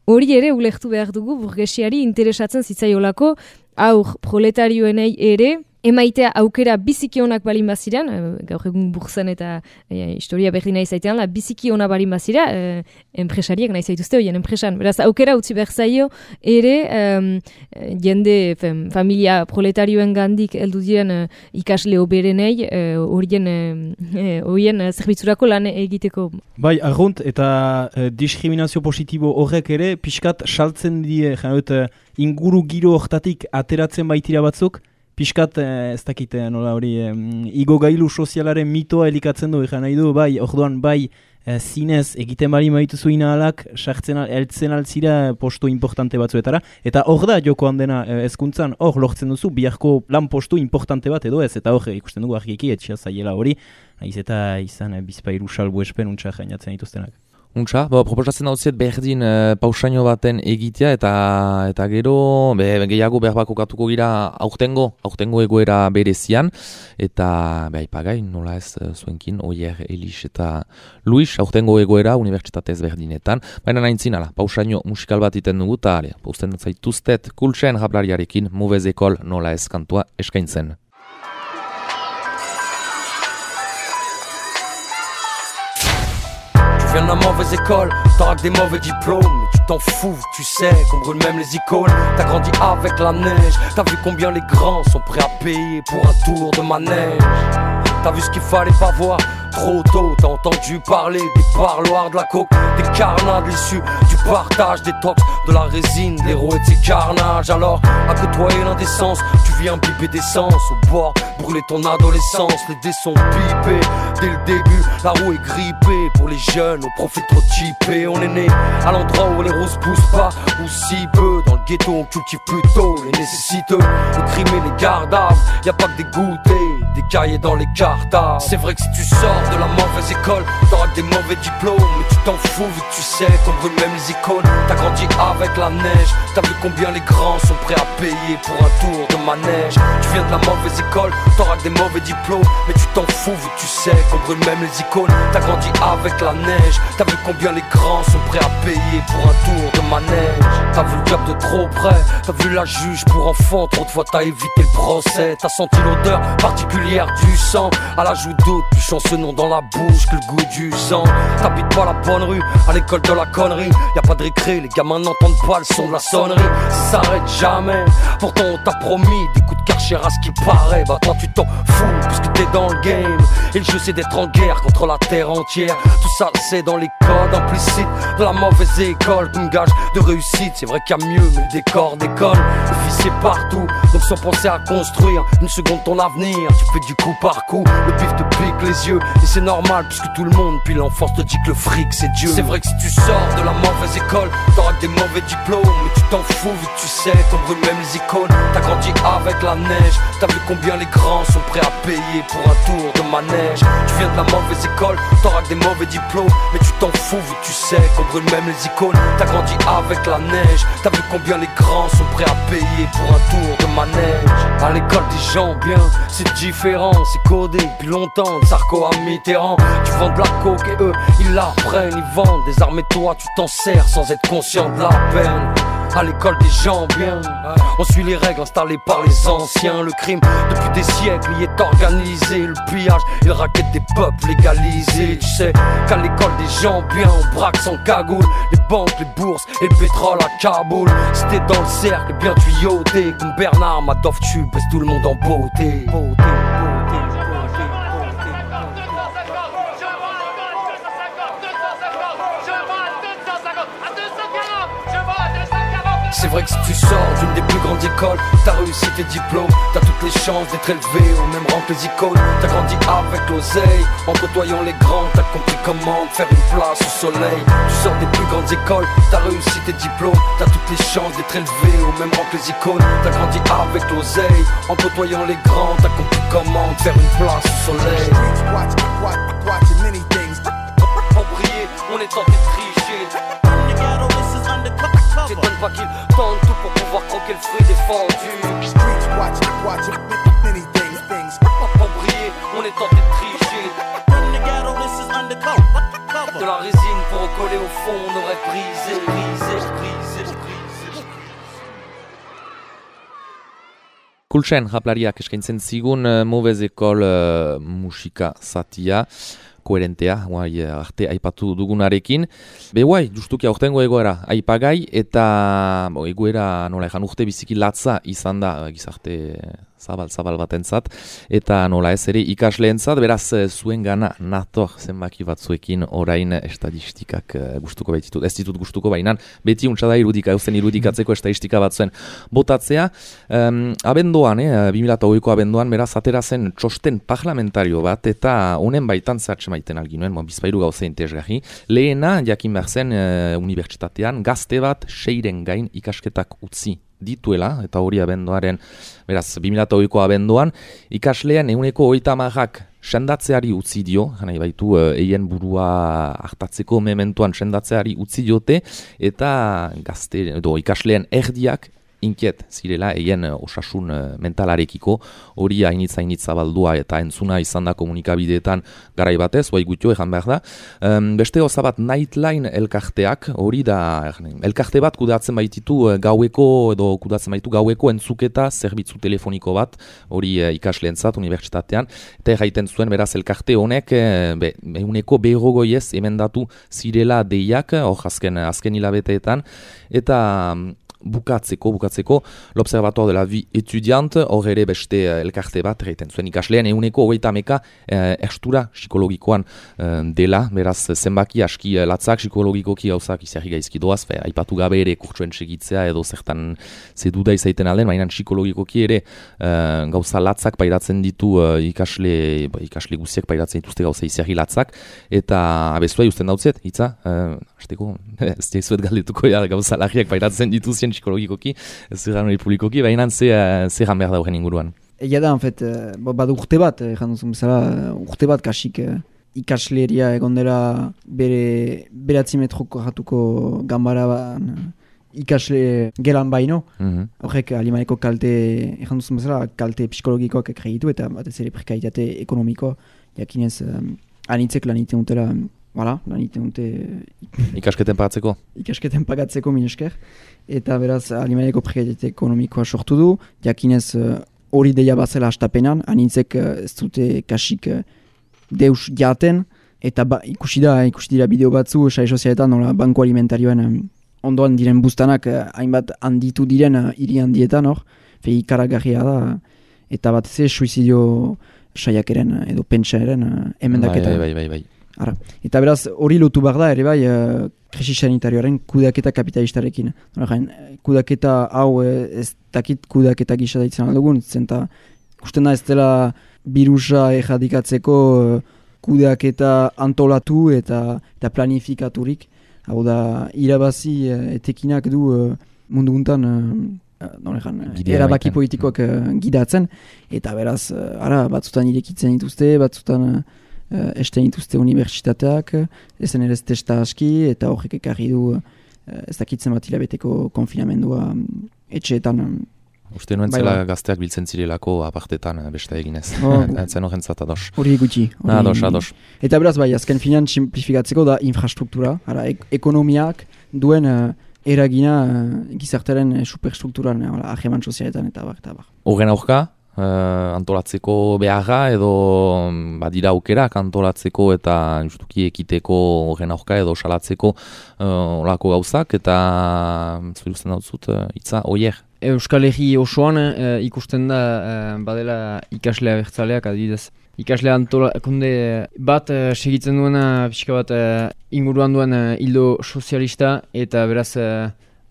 hori ere ulertu behar dugu burgesiari interesatzen zitzaiolako, aur proletarioenei ere, emaitea aukera biziki onak balin baziran, gaur egun burzen eta historia berdina izaitean, biziki ona balin bazira, enpresariak nahi zaituzte horien enpresan. Beraz, aukera utzi behar zaio ere jende familia proletarioen gandik heldu diren ikasle oberenei horien zerbitzurako lan egiteko. Bai, arrunt eta diskriminazio positibo horrek ere, pixkat saltzen die, inguru giro hortatik ateratzen baitira batzuk, piskat, ez dakit, nola hori, igogailu sozialaren mitoa elikatzen du, nahi du, bai, orduan, bai, zinez, egiten bari maitu zuina alak, eltzen altzira postu importante batzuetara, eta hor da jokoan dena hezkuntzan, hor lortzen duzu, biharko lan postu importante bat edo ez, eta hor ikusten dugu argiki, etxea zaiela hori, nahiz eta izan bizpairu salbu espen untsa jainatzen dituztenak. Untsa, proposatzen dauziet berdin pausaino baten egitea eta gero gehiago behar bakokatuko gira aurtengo egoera berezian eta aipagai nola ez zuenkin Oier, Elis eta Luis aurtengo egoera unibertsitatez berdinetan, baina nahintzin pausaino musikal bat iten dugu eta usten zaituztet kultsen jablariarekin Mauvaise École nola ez kantua eskaintzen. Tu viens de la mauvaise école, t'auras que des mauvais diplômes. Mais tu t'en fous, tu sais qu'on brûle même les icônes. T'as grandi avec la neige, t'as vu combien les grands sont prêts à payer pour un tour de manège. T'as vu ce qu'il fallait pas voir trop tôt, t'as entendu parler des parloirs de la coke, des carnade, l'issue du partage des tox, de la résine, de l'héros et de ses carnages. Alors, à côtoyer l'indécence, tu viens biper d'essence au bord, brûler ton adolescence. Les dés sont pipés dès le début, la roue est grippée. Pour les jeunes, au profil trop typé. On est né à l'endroit où les roses poussent pas, ou si peu. Dans le ghetto, on cultive plutôt les nécessiteux. Le crime et les gardaves, y a pas que des goûters, des cahiers dans les cartables. C'est vrai que si tu sors de la mauvaise école, t'auras que des mauvais diplômes, mais tu t'en fous vu que tu sais qu'on brûle même les icônes. T'as grandi avec la neige, t'as vu combien les grands sont prêts à payer pour un tour de manège. Tu viens de la mauvaise école, t'auras que des mauvais diplômes, mais tu t'en fous vu que tu sais qu'on brûle même les icônes. T'as grandi avec la neige, t'as vu combien les grands sont prêts à payer pour un tour de manège. T'as vu le diable de trop près, t'as vu la juge pour enfants, trop de fois t'as évité le procès. T'as senti l'odeur particulière du sang, à la joue d'autres, plus chanceux nom dans la bouche que le goût du sang. T'habites pas la bonne rue, à l'école de la connerie, y'a pas de récré, les gamins n'entendent pas le son de la sonnerie. Ça s'arrête jamais, pourtant on t'a promis des coups de Karcher à ce qui paraît. Bah toi tu t'en fous, puisque t'es dans le game, et le jeu c'est d'être en guerre contre la terre entière. Tout ça c'est dans les codes implicites de la mauvaise école, comme gage de réussite. C'est vrai qu'il y a mieux, mais le décor décolle. Le fils c'est partout, donc sans penser à construire une seconde ton avenir, tu fais du coup par coup. Le pif te pique les yeux, et c'est normal puisque tout le monde puis l'enfance te dit que le fric c'est Dieu. C'est vrai que si tu sors de la mauvaise école, t'auras que des mauvais diplômes, mais tu t'en fous vu que tu sais qu'on brûle même les icônes. T'as grandi avec la neige, t'as vu combien les grands sont prêts à payer pour un tour de manège. Tu viens de la mauvaise école, t'auras que des mauvais diplômes, mais tu t'en fous vu que tu sais qu'on brûle même les icônes. T'as grandi avec la neige, t'as vu combien les grands sont prêts à payer pour un tour de manège. À l'école des gens bien, c'est différent, c'est codé depuis longtemps, de Sarko à Mitterrand. Tu vends de la coke et eux, ils la prennent, ils vendent des armes et toi tu t'en sers sans être conscient de la peine. À l'école des gens bien, on suit les règles installées par les anciens. Le crime depuis des siècles y est organisé, le pillage et le racket des peuples légalisés. Tu sais qu'à l'école des gens bien, on braque sans cagoule les banques, les bourses et le pétrole à Kaboul. Si t'es dans le cercle, bien tuyauté comme Bernard Madoff, tu baisses tout le monde en beauté. C'est vrai que si tu sors d'une des plus grandes écoles, t'as réussi tes diplômes, t'as toutes les chances d'être élevé au même rang que les icônes. T'as grandi avec l'oseille, en côtoyant les grands, t'as compris comment faire une place au soleil. Tu sors des plus grandes écoles, t'as réussi tes diplômes, t'as toutes les chances d'être élevé au même rang que les icônes. T'as grandi avec l'oseille, en côtoyant les grands, t'as compris comment faire une place au soleil. Pour briller, on est tenté de tricher. T'étonnes pas qu'ils tentent tout pour pouvoir croquer le fruit défendu. Pour briller, on est tenté de tricher. De la résine pour recoller au fond, on aurait brisé. Kultsen japlariak eskaintzen zigun Mauvaise École musika zatia, koherentea, arte aipatu dugunarekin. Guai, justuki aurtengo egoera aipagai, eta egoera nola ejan urte biziki latza izan da gizarte zabal batentzat, eta nola ez ere ikasleentzat, beraz zuen gana nator zenbaki batzuekin orain estadistikak gustuko baititut. Ez ditut gustuko bainan, beti untsa da irudikatzeko estadistika batzuen botatzea. Abenduan, 2008ko abenduan, beraz atera zen txosten parlamentario bat, eta honen baitan zertxe maiten alginuen, bizpairu gauza interesgarri. Lehena, jakin behar zen unibertsitatean, gazte bat 6 gain ikasketak utzi dituela, eta hori abenduaren, beraz, 2008ko abenduan, ikaslean 30%ak sendatzeari utzi dio, nahi baitu eien burua hartatzeko mementuan sendatzeari utzi diote, eta gazte, edo ikasleen erdiak inkiet zirela eien osasun mentalarekiko, hori hainitza baldua eta entzuna izan da komunikabideetan garai batez, bai gutio ejan behar da. Beste gauza bat Nightline elkarteak, hori da, elkarte bat kudatzen baititu gaueko, edo kudatzen baitu gaueko entzuketa zerbitzu telefoniko bat, hori ikasleentzat unibertsitatean, eta erraiten zuen beraz elkarte honek, 100% emendatu zirela deiak, hor azken hilabeteetan, eta bukatzeko, l'Observatoire de la vie étudiante, hor ere beste elkarte bat, erraiten zuen ikaslean, 130 erstura psikologikoan dela, beraz zenbaki aski latzak psikologikoki gauzak izarri gaizki doaz, aipatu gabe ere kurtsuen segitzea edo zertan zeduda izaiten alden, baina psikologikoki ere gauza latzak pairatzen ditu ikasle guziak pairatzen dituzte gauza izarri latzak, eta abezua justen dautzet, hitza, hasteko, ez daizuet galdetuko gauza larriak pairatzen dituzien psikologikoki, ez zerran hori publikoki, baina zerran behar da horren inguruan. Egia da, badu urte bat, janduzun bezala, urte bat kasik ikasleria egon dela bere 9 metroko jatuko gambara ikasle gelan baino. Horrek Alimaneko kalte, janduzun bezala, kalte psikologikoak ekregitu eta batez ere prekaritate ekonomiko, jakinez anitzek lan iten dutela, lan iten dute ikasketen pagatzeko? Ikasketen pagatzeko, min esker. Eta beraz, Alimaneko prekaritate ekonomikoa sortu du, jakinez hori deia bazela hastapenan, anitzek ez dute kasik deus jaten, eta ikusi dira bideo batzu, sare sozialetan, nola banko alimentarioen ondoan diren buztanak hainbat handitu diren hiri handietan, ikaragarria da, eta batez ez suizidio saiakeren edo pentsaeren emendaketa. Bai. Ara. Eta beraz, hori lotu behar da, ere bai, krisi sanitarioaren kudaketa kapitalistarekin. Kudaketa hau ez dakit kudaketa gisa daitzen aldugun, zenta ikusten da ez dela birusa erradikatzeko kudaketa antolatu eta planifikaturik. Hau da, irabazi etekinak du mundu guntan erabaki politikoak gidatzen, eta beraz, batzutan irekitzen dituzte, batzutan esten dituzte unibertsitateak, ezen ere ez testa aski, eta horrek ekarri du ez dakitzen bat hilabeteko konfinamendua etxeetan. Uste nuen zela gazteak biltzen zirelako apartetan beste eginez. Zen horren zat ados. Hori gutxi. Ados. Eta beraz bai, azken finean simplifikatzeko da infrastruktura, ekonomiak duen eragina gizartaren superstrukturan, ahreman sozialetan eta bar. Horren aurka? Antolatzeko beharra edo badira aukerak antolatzeko eta justuki ekiteko horren aurka edo salatzeko olako gauzak eta zuruzten dautzut hitza oier. Euskal Herri osoan ikusten da badela ikaslea bertzaleak adibidez. Ikaslea antolakunde bat segitzen duena pixka bat inguruan duen hildo sozialista eta beraz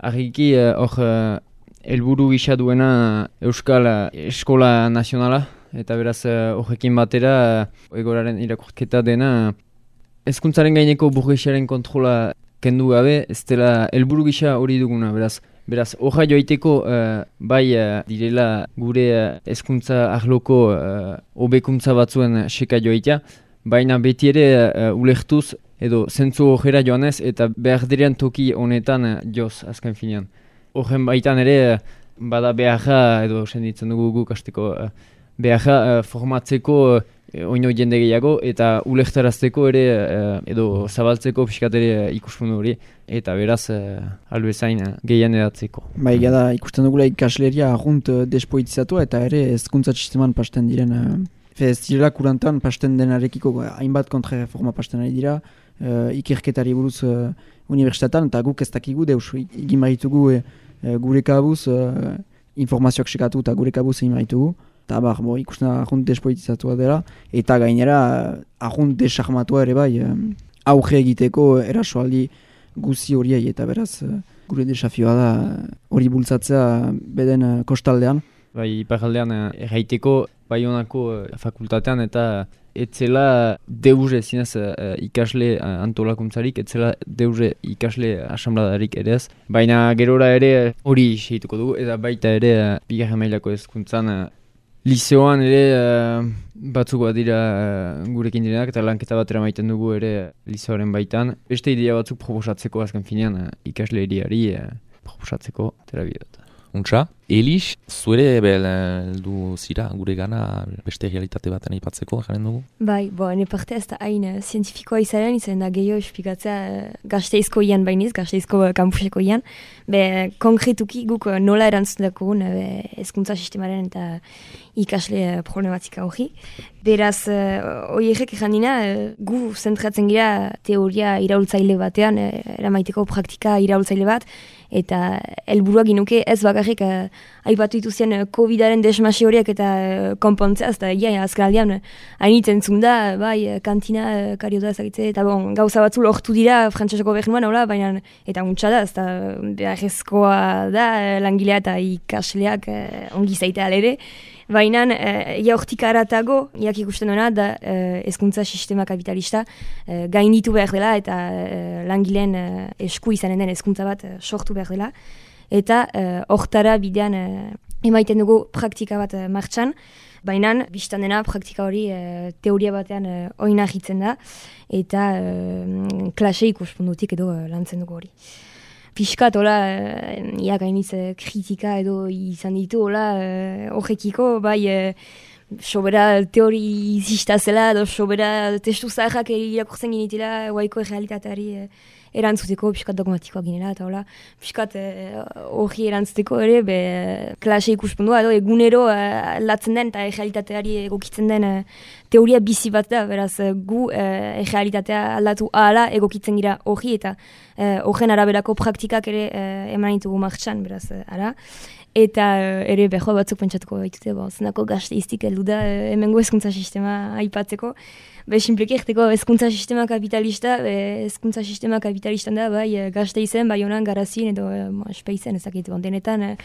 argiki hor helburu gisa duena Euskal Eskola Nazionala, eta beraz horrekin batera egoraren irakurketa dena hezkuntzaren gaineko burgesiaren kontrola kendu gabe, ez dela helburu gisa hori duguna, beraz horra joaiteko bai direla gure hezkuntza arloko hobekuntza batzuen seka joaitea, baina beti ere ulertuz edo zentzu horrela joanez eta behar diren toki honetan joz azken finean. Horren baitan ere, bada beharra, edo senditzen dugu guk hasteko beharra formatzeko oino jende gehiago, eta ulektarazteko ere, edo zabaltzeko pixkat ere ikuspundu hori, eta beraz albezain gehian edatzeko. Bai, da ikusten dugula ikasleria arrunt despoitizatu eta ere hezkuntza sisteman pasten diren, ez direla kurantan pasten denarekiko hainbat kontrareforma pasten ari dira, ikerketari buruz unibertsitatean, eta guk ez dakigu deus, egin baritugu gure kabuz informazioak sekatu eta gure kabuz egin baritugu, eta ikusten arrunt despoitizatua dela, eta gainera arrunt desarmatua ere bai auge egiteko erasoaldi guzi horiei, eta beraz gure desafioa da hori bultzatzea beden kostaldean. Bai, iparaldean erraiteko Baionako fakultatean eta etzela deuze zinez ikasle antolakuntzarik, etzela deuze ikasle asambladarik ere ez. Baina gerora ere hori segituko dugu, eta baita ere bigarren mailako hezkuntzan liseoan ere batzuk bat dira gurekin direnak, eta lanketa batera maiten dugu ere liseoaren baitan. Beste idea batzuk proposatzeko azken finean ikasle eriari proposatzeko terabidot. Untxa, Elix, zuere heldu zira gure gana beste realitate baten aipatzeko, jaren dugu? Bai, ene parte ez da hain zientifikoa izan da gehiago esplikatzea Gasteizko ian bainiz, Gasteizko kampuseko ian. Konkretuki guk nola erantzun dakogun hezkuntza sistemaren eta ikasle problematika hori. Beraz, horiek ejan dina, gu zentratzen gira teoria iraultzaile batean, eramaiteko praktika iraultzaile bat, eta helburuak ginuke ez bakarrik aipatu dituzien COVID-aren desmasi horiek eta konpontzea, eta azkenaldian hainitzen zunda, bai, kantina, kariota ezagitze, eta gauza batzu lortu dira frantseseko gobernuan, baina eta untsa da, eta beharrezkoa da langilea eta ikasleak ongi zaitea alere. Baina, hortik aratago, ikusten duena, da hezkuntza sistema kapitalista gainditu behar dela eta langileen esku izanen den hezkuntza bat sortu behar dela. Eta hortara bidean emaiten dugu praktika bat martxan, baina, biztan dena, praktika hori teoria batean oinahitzen da, eta klase ikuspuntutik edo lantzen dugu hori. Piskat, gainitz kritika edo izan ditu, horrekiko, bai, sobera teori izista zela, edo sobera testu zaharrak irakurtzen ginitela, guaiko realitateari erantzuteko, piskat dogmatikoak ginela, eta piskat hori erantzuteko ere, klase ikuspundua, edo egunero latzen den eta realitateari egokitzen den teoria bizi bat da, beraz gu realitatea aldatu ahala egokitzen gira hori, eta horren araberako praktikak ere eman ditugu martxan, beraz, ara. Eta ere beho batzuk pentsatuko baitute, zenako gazteiztik heldu da hemengo hezkuntza sistema aipatzeko. Sinpleki egiteko hezkuntza sistema kapitalista, hezkuntza sistema kapitalistan da, bai gazteizen, bai honan garazin edo espeizen, ezakit, denetan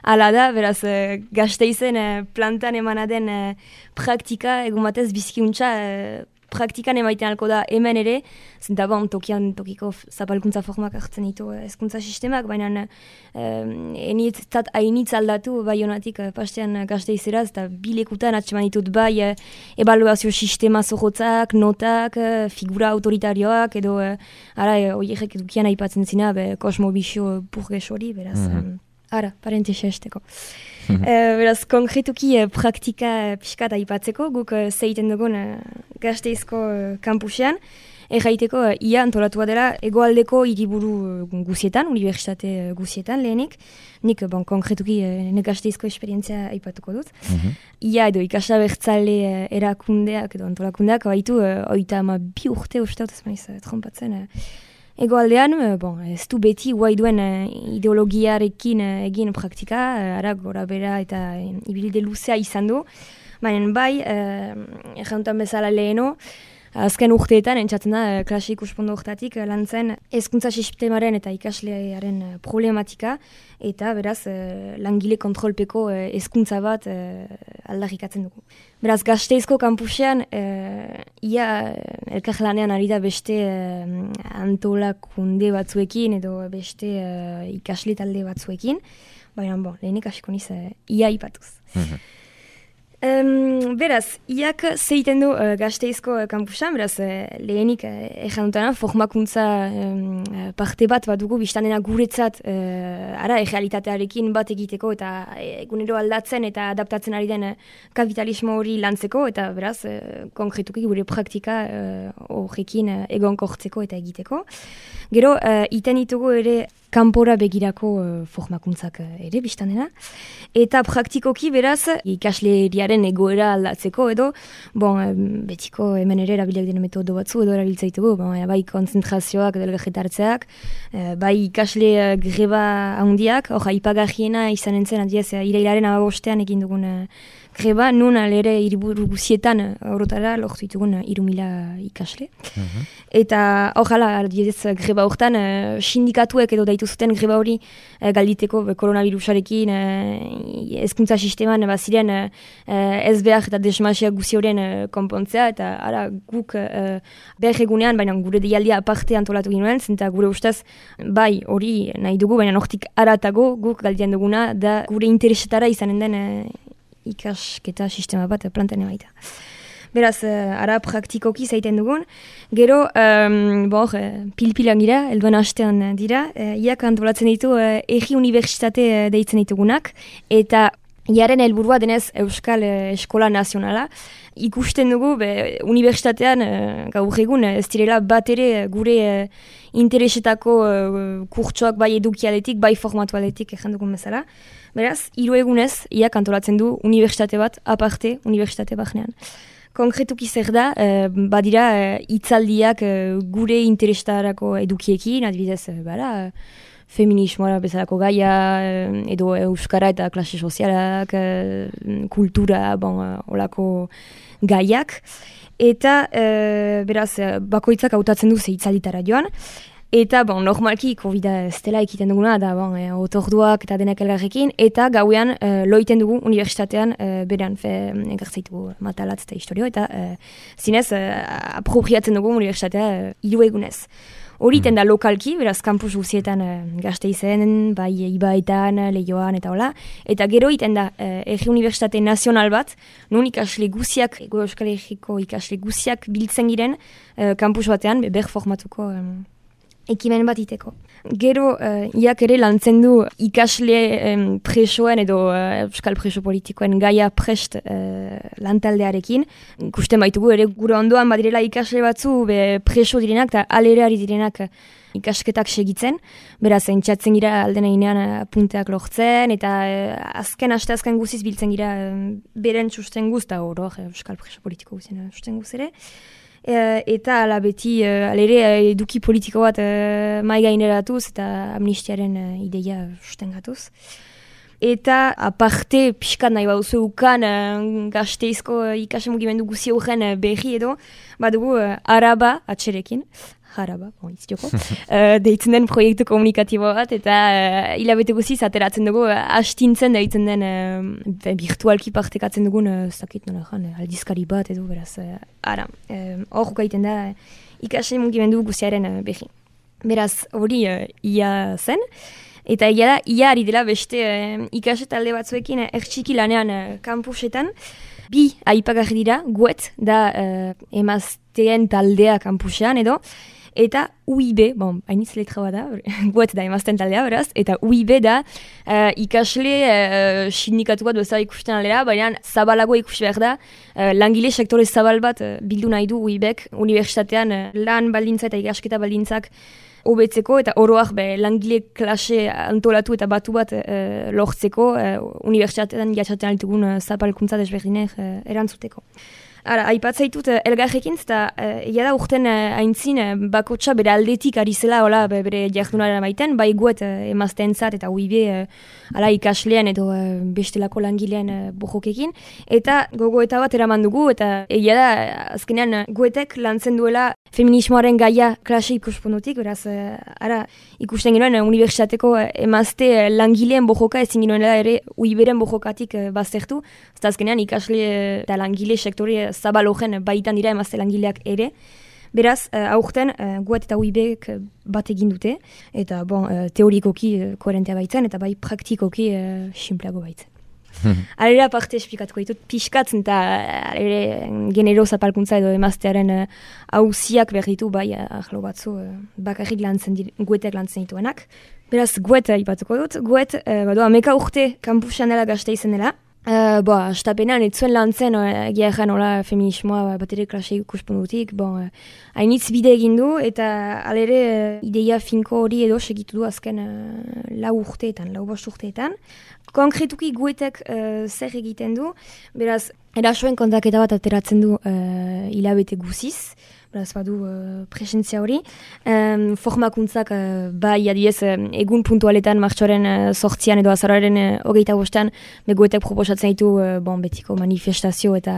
ala da, beraz gazteizen plantan emanaden praktika, egun batez bizikiuntza praktikan emaiten alko da hemen ere, zenta tokiko zapalkuntza formak hartzen ditu hezkuntza sistemak, baina hainitz aldatu bai honatik pastean gazteizeraz, eta bilekutan atseman ditut bai ebaluazio sistema zorrotzak, notak, figura autoritarioak, edo horiek edukian aipatzen zina, kosmobixo burges hori, beraz, parentesa esteko. Beraz, konkretuki praktika pixkat aipatzeko, guk zeiten dugun Gasteizko kampusean, erraiteko ia antolatua dela hegoaldeko hiriburu guzietan, unibertsitate guzietan lehenik. Nik, konkretuki Gasteizko esperientzia aipatuko dut. Ia edo ikasla bertzale erakundeak edo antolakundeak, baitu 32 urte uste dut, ez maiz trompatzen, egoaldean, ez du beti guai duen ideologiarekin egin praktika, gora bera eta ibilide luzea izan du, baina bai, errantan bezala leheno, azken urteetan, entzatzen da, klase ikuspondo urtatik, lantzen hezkuntza sistemaren eta ikaslearen problematika, eta beraz, langile kontrolpeko hezkuntza bat aldarrikatzen dugu. Beraz, Gasteizko kampusean, ia elkarlanean ari da beste antolakunde batzuekin, edo beste ikasle talde batzuekin, baina, lehenik hasiko niz, ia ipatuz. Beraz, iak zeiten du Gasteizko kampusan, beraz, lehenik dutena, formakuntza parte bat dugu, biztan dena guretzat errealitatearekin bat egiteko eta egunero aldatzen eta adaptatzen ari den kapitalismo hori lantzeko, eta beraz, konkretuki gure praktika horrekin egonkortzeko eta egiteko. Gero, iten ditugu ere kanpora begirako formakuntzak ere biztan dena. Eta praktikoki beraz, ikasleriaren egoera aldatzeko edo, betiko hemen ere erabilak dena metodo batzu edo erabiltzaitugu, bai konzentrazioak edo elgarretartzeak, bai ikasle greba handiak, aipagarriena izan entzen, adiez, irailaren 15 egin dugun greba, nun alere hiriburu guzietan horotara lortu ditugun 3.000 ikasle. Eta adiez, greba hortan, sindikatuek edo daitu zuten greba hori galditeko koronavirusarekin hezkuntza sisteman ziren ez behar eta desmasiak guzi horien konpontzea, eta guk behar egunean, baina gure deialdia aparte antolatu ginoen, zenta gure ustez bai hori nahi dugu, baina hortik aratago guk galdien duguna, da gure interesetara izanen den ikasketa sistema bat plantan baita. Beraz, praktikoki zaiten dugun. Gero, pilpilan gira, elduan hastean dira, iak antolatzen ditu egi unibertsitate deitzen ditugunak, eta iaren helburua denez Euskal Eskola Nazionala. Ikusten dugu, unibertsitatean gaur egun ez direla bat ere gure interesetako kurtsoak bai edukialetik, bai formatualetik dugun bezala. Beraz, 3 egunez, iak antolatzen du unibertsitate bat aparte, unibertsitate bahnean. Konkretuki zer da, badira hitzaldiak gure interesetarako edukiekin, adibidez, feminismoa bezalako gaia, edo euskara eta klase sozialak, kultura, olako gaiak. Eta, beraz, bakoitzak hautatzen du hitzalditara joan. Eta, normalki, COVID-a ez dela ekiten duguna, da, otorduak eta denak elgarrekin, eta gauean loiten dugu unibertsitatean berean egartzaitu matalatz eta historio, eta zinez, apropriatzen dugu unibertsitatea 3 egunez. Horiten da lokalki, beraz, kampus guzietan Gasteizen, bai Ibaetan, Leioan eta hola, eta gero iten da Erri Unibertsitate Nazional bat, nun ikasle guziak, Ego Euskal Herriko ikasle guziak biltzen giren kampus batean, ber formatuko ekimen bat iteko. Gero, iak ere lantzen du ikasle presoen edo euskal preso politikoen gaia prest lantaldearekin. Ikusten baitugu ere gure ondoan badirela ikasle batzu preso direnak eta alereari direnak ikasketak segitzen. Beraz, entxatzen gira alden einean punteak lortzen eta azken guziz biltzen gira beren susten guz eta hor euskal preso politiko guzien susten guz ere. Eta ala beti alere eduki politiko bat mai gaineratuz eta amnistiaren ideia sustengatuz. Eta aparte pixkat nahi baduzu ukan Gasteizko ikasle mugimendu guzi horren berri edo badugu Araba atxerekin. Jaraba, iztioko, deitzen den proiektu komunikatibo bat, eta hilabete guziz ateratzen dugu, astintzen deitzen den virtualki partekatzen dugun, zakit nola aldizkari bat edo, beraz, hor gaiten da ikasle mugimendu guziaren berri. Beraz, hori ia zen, eta ia ari dela beste ikasle talde batzuekin ertxiki lanean kampusetan, bi aipagarri dira, guet, da emazteen taldea kampusean edo, eta UIB, hainitz letra bat da, guet da emazten taldea beraz, eta UIB da ikasle sindikatu bat bezala ikusten aldera, baina zabalago ikusi behar da, langile sektore zabal bat bildu nahi du UIBek, unibertsitatean lan baldintza eta ikasketa baldintzak hobetzeko eta oroak langile klase antolatu eta batu bat lortzeko unibertsitatean jatzaten altugun zapalkuntza desberdinek erantzuteko. Aipatzaitut elgarrekin, eta egia da urten haintzin bakotxa bere aldetik ari zela bere jardunaren maiten, bai guet emazteentzat eta UIB ikaslean edo bestelako langilean bojokekin, eta gogoeta bat eraman dugu, eta egia da azkenean guetek lantzen duela feminismoaren gaia klase ikusponutik, beraz ikusten genuen unibertsitateko emazte langileen bojoka ezin genuela ere UIBren bojokatik baztertu, eta azkenean ikasle eta langile sektore zabalogen baitan dira emazte langileak ere. Beraz, aurten guet eta UIBek bat egin dute, eta teorikoki koherentea baitzen, eta bai praktikoki simpleago baitzen. Alera parte esplikatuko ditut, pixkatzen eta genero zapalkuntza edo emaztearen hauziak berditu, bai ahlo batzu bakarrik guetek lantzen dituenak. Beraz, guet ipatuko dut, guet ameka urte kampusan dela Gasteizen dela. Astapenean ez zuen lantzen egia ezan feminismoa bat ere klase ikuspuntutik, hainitz bide egin du eta alere ideia finko hori edo segitu du azken 4 urteetan, 5 urteetan. Konkretuki guetek zer egiten du, beraz, erasoen kontaketa bat ateratzen du hilabete guziz, beraz badu presentzia hori. Formakuntzak bai adiez egun puntualetan martxoaren 8an edo azaroaren 25an guetek proposatzen ditu betiko manifestazio eta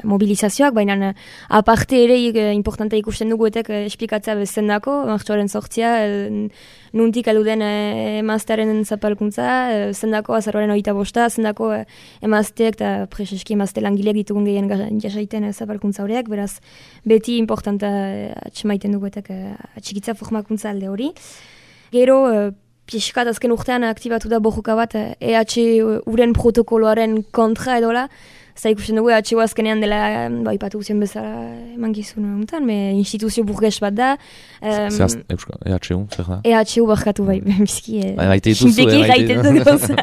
mobilizazioak, baina aparte ere importante ikusten du guetek esplikatzea bezendako, martxoaren 8a nuntik aluden emaztearen zapalkuntza, zendako azaroaren 25a, zendako emazteak eta preseski emazte langileak ditugun gehien jasaiten zapalkuntza horiek, beraz beti importanta atxemaiten duguetak atxikitza formakuntza alde hori. Gero, pixkat azken urtean aktibatu da bojoka bat EH-uren protokoloaren kontra edola, Zai ikusten dugu EH-u azkenean dela, ipatu guzien bezala emangizun honetan, instituzio burges bat da. EH-u, zer da? EH-u barkatu bai, bizki, xinteki gaiten dut gauza.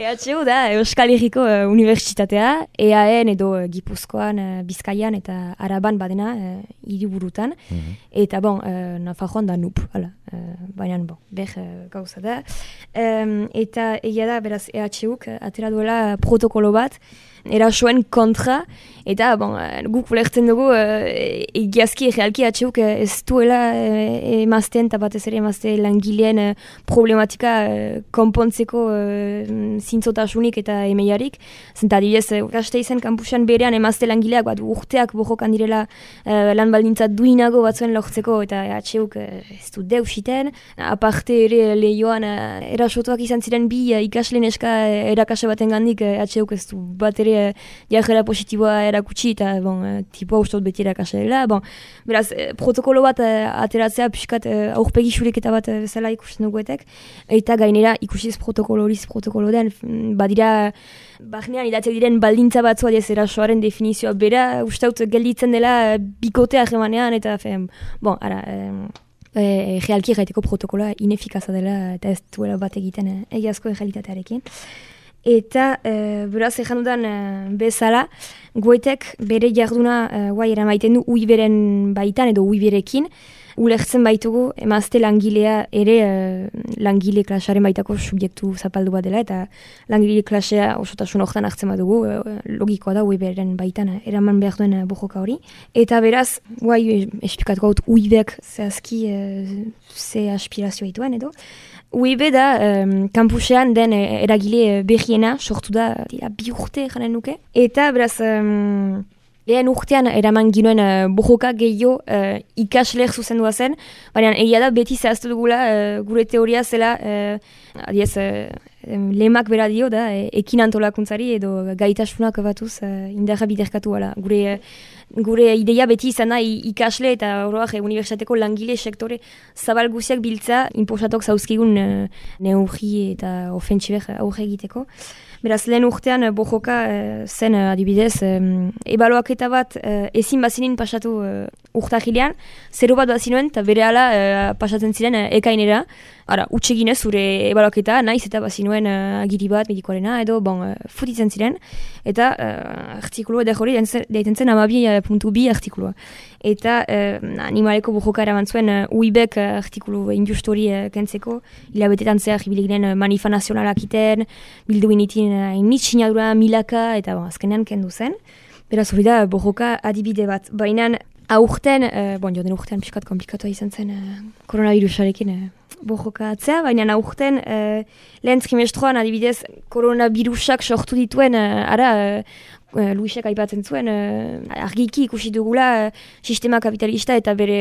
EH-u da Euskal Herriko Unibertsitatea, EAN edo Gipuzkoan, Bizkaian eta Araban badena hiriburutan. Eta Nafarroan da NUP, baina gauza da. Eta egia da, beraz, EH-uk atera duela protokolo bat, eraso erasoen kontra, eta guk ulertzen dugu egiazki egealki atxeuk ez duela emazteen eta batez ere emazte langileen problematika konpontzeko zintzotasunik eta emeiarik. Zenta adibidez, Gasteizen kampusan berean emazte langileak bat urteak bojokan direla lan baldintza duinago batzuen lortzeko eta atxeuk ez du deusiten. Aparte ere lehioan erasotuak izan ziren bi ikasle neska erakase baten gandik atxeuk ez du bat ere jarrera positiboa erakutsi eta tipoa ustot beti erakase dela. Beraz, protokolo bat ateratzea pixkat aurpegi xureketa bat bezala ikusten duguetek. Eta gainera ikusiz protokolo den, badira barnean idatzek diren baldintza batzua diez erasoaren definizioa bera, ustaut gelditzen dela bikotea jemanean, eta realki gaiteko protokoloa inefikaza dela eta ez duela bat egiten egiazko realitatearekin. Eta beraz ejan dudan bezala, goetek bere jarduna guai eramaiten du uiberen baitan edo uiberekin, ulertzen baitugu emazte langilea ere langile klasaren baitako subjektu zapaldu bat dela, eta langile klasea osotasun horretan hartzen badugu, logikoa da uiberen baitan eraman behar duen bojoka hori. Eta beraz, guai esplikatuko haut uibek zehazki ze aspirazioa dituen edo. UIB da, kampusean den eragile behiena sortu da, bi urte janen nuke. Eta beraz, lehen urtean eraman ginoen bojoka gehiago ikasleek zuzendua zen, baina egia da beti zehaztu dugula gure teoria zela, lemak bera dio da, ekin antolakuntzari edo gaitasunak batuz indarra biderkatu ala. Gure ideia beti izan da ikasle eta oroak unibertsitateko langile sektore zabal guziak biltza inposatok zauzkigun neurri eta ofentsibek aurre egiteko. Beraz, lehen urtean bojoka zen adibidez, ebaloaketa bat ezin bazinin pasatu urtahilean, 0 bat bazinuen eta bere ala pasatzen ziren ekainera. Ara, utxeginez zure ebaloaketa, naiz eta bazinuen agiri bat medikoarena edo futitzen ziren. Eta artikulu edo hori daiten zen 12.2 artikulua. Eta animaleko bojoka eraman zuen UIBek artikulu injustu hori kentzeko, hilabetetan zehar hibileginen manifa nazionalak iten, bildu initin hainitz sinadura milaka, eta azkenean kendu zen. Beraz hori da bojoka adibide bat. Baina aurten, joden urtean pixkat komplikatua izan zen koronavirusarekin bojoka atzea, baina aurten lehen trimestroan adibidez koronavirusak sortu dituen Luisek aipatzen zuen, argiki ikusi dugula sistema kapitalista eta bere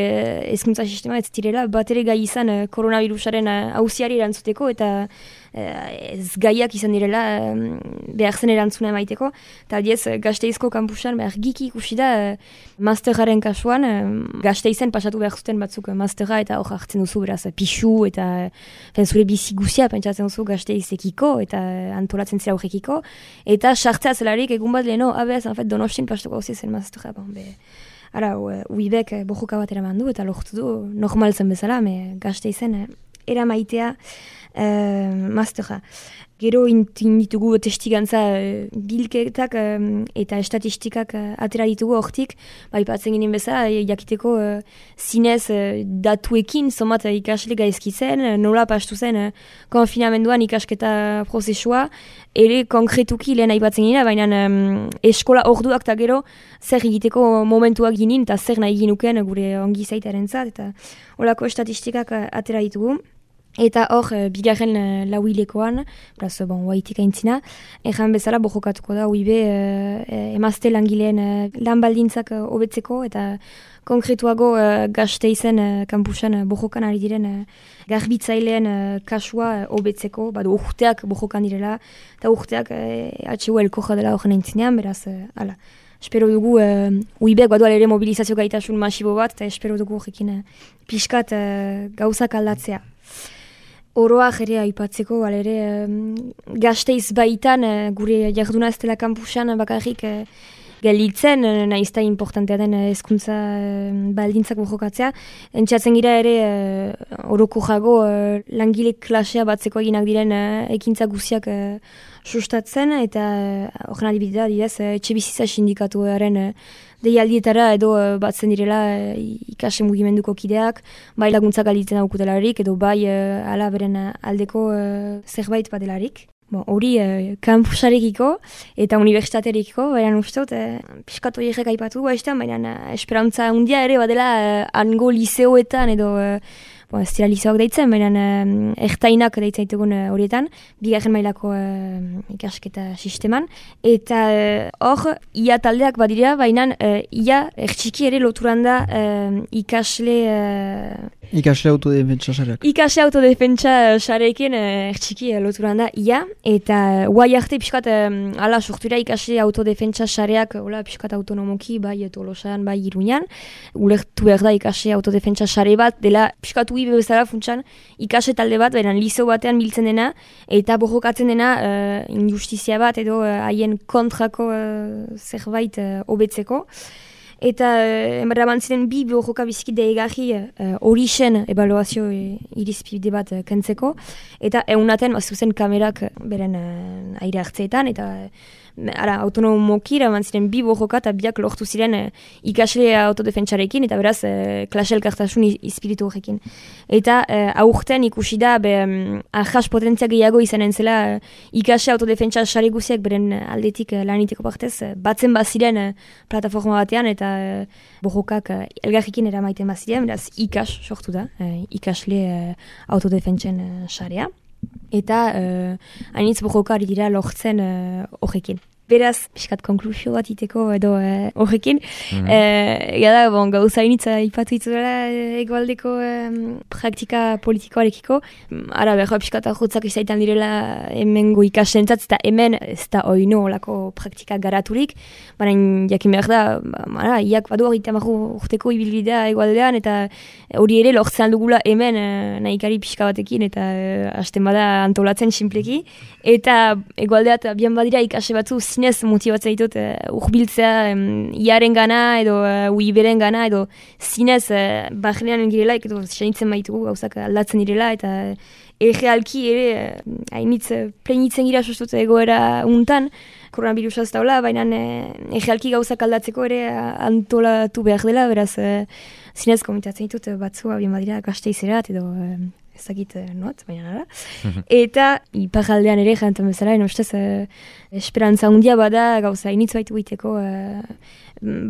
hezkuntza sistema ez direla bat ere gai izan koronavirusaren auziari erantzuteko eta ez gaiak izan direla behar zen erantzuna emaiteko. Eta adiez, Gasteizko kampusan argiki ikusi da masteraren kasuan, Gasteizen pasatu behar zuten batzuk mastera eta hor hartzen duzu beraz pixu eta zure bizi guzia pentsatzen duzu Gasteizekiko eta antolatzen zira horrekiko. Eta sartzea zelarik egun bat leheno, abez, Donostin pastoko hauzi zen mastera. UIBek bojoka bat eraman du eta lortu du normal zen bezala, Gasteizen eramaitea mastera. Gero ditugu testigantza bilketak eta estatistikak atera ditugu hortik, baipatzen ginen bezala, jakiteko zinez datuekin somat ikasle gaizki zen, nola pastu zen konfinamenduan ikasketa prozesua, ere konkretuki lehen aipatzen ginen, baina eskola orduak eta gero zer egiteko momentuak ginen eta zer nahi ginuken gure ongi zaitaren zat, eta holako estatistikak atera ditugu. Eta hor, bigarren lauilekoan, beraz, waitik aintzina, ejan bezala bojokatuko da UIB emazte langileen lan baldintzak hobetzeko eta konkretuago Gasteizen kampusan bojokan ari diren garbitzaileen kasua hobetzeko, urteak bojokan direla, eta urteak HU elkoja dela horren aintzinean, beraz, ala. Espero dugu UIBek badual ere mobilizazio gaitasun masibo bat, eta espero dugu horrekin pixkat gauzak aldatzea. Oroak ere aipatzeko, Gasteiz baitan gure jarduna ez dela kampusan bakarrik gelditzen, nahizta importantea den hezkuntza baldintzak bojokatzea. Entzatzen gira ere oroko jago langile klasea batzeko eginak diren ekintza guziak sustatzen, eta horren adibidea, etxe bizitza sindikatuaren deialdietara edo batzen direla ikase mugimenduko kideak, bai laguntzak alditzen daukutelarik, edo bai ala beren aldeko zerbait badelarik. hori kampusarekiko eta unibertsitaterekiko, baina uste dut, piskat horiek aipatu baina esperantza handia ere badela hango liseoetan edo ez dira liseoak deitzen, baina ertainak deitzen ditugun horietan, bigarren mailako ikasketa sisteman, eta hor, ia taldeak badira, baina ia ertxiki ere loturan da Ikasle autodefentsa sareak. Ikasle autodefentsa sareekin ertxiki loturan da ia, eta guai arte piskat ala sortura ikasle autodefentsa sareak piskat autonomoki, bai Tolosan, bai Iruñan, ulertu behar da ikasle autodefentsa sare bat, dela piskat bezala funtsan ikasle talde bat, beran liseo batean biltzen dena, eta borrokatzen dena injustizia bat edo haien kontrako zerbait hobetzeko. Eta eraman ziren bi borroka biziki deigarri hori zen ebaluazio irizpide bat kentzeko, eta eunaten zuzen kamerak beren aire hartzeetan, eta autonomoki eraman ziren bi borroka eta biak lortu ziren ikasle autodefentsarekin, eta beraz klase elkartasun izpiritu horrekin. Eta aurten ikusi da ahas potentzia gehiago izanen zela ikasle autodefentsa sare guziak beren aldetik laniteko partez, batzen baziren plataforma batean, eta borrokak elgarrikin eramaiten baziren, beraz ikas sortu da, ikasle autodefentsen sarea. Eta hainitz borrokari dira lortzen horrekin. Beraz, piskat konklusio bat iteko edo horrekin. Gauza hainitza ipatu itzuela egoaldeko praktika politikoarekiko. Ara, behar piskat ahotzak izaitan direla hemengo ikaslentzat, eta hemen ez da oino olako praktika garaturik. Baina jakin behar da, iak badu hori tamarru urteko ibilbidea egoaldean, eta hori ere lortzen dugula hemen nahikari pixka batekin, eta hasten bada antolatzen sinpleki. Eta egoaldeat bian badira ikasle batzu zinez motibatzen ditut urbiltzea iaren gana edo uiberen gana edo zinez barrenean girela edo senitzen baitugu gauzak aldatzen direla eta errealki ere hainitz plenitzen gira sostut egoera untan koronabirusaz daula, baina errealki gauzak aldatzeko ere antolatu behar dela, beraz zinez komitatzen ditut batzua bien badira Gasteizerat edo ezagit not, baina nara. Eta iparraldean ere jantan bezala, ustez esperantza handia bada gauza initz baitu egiteko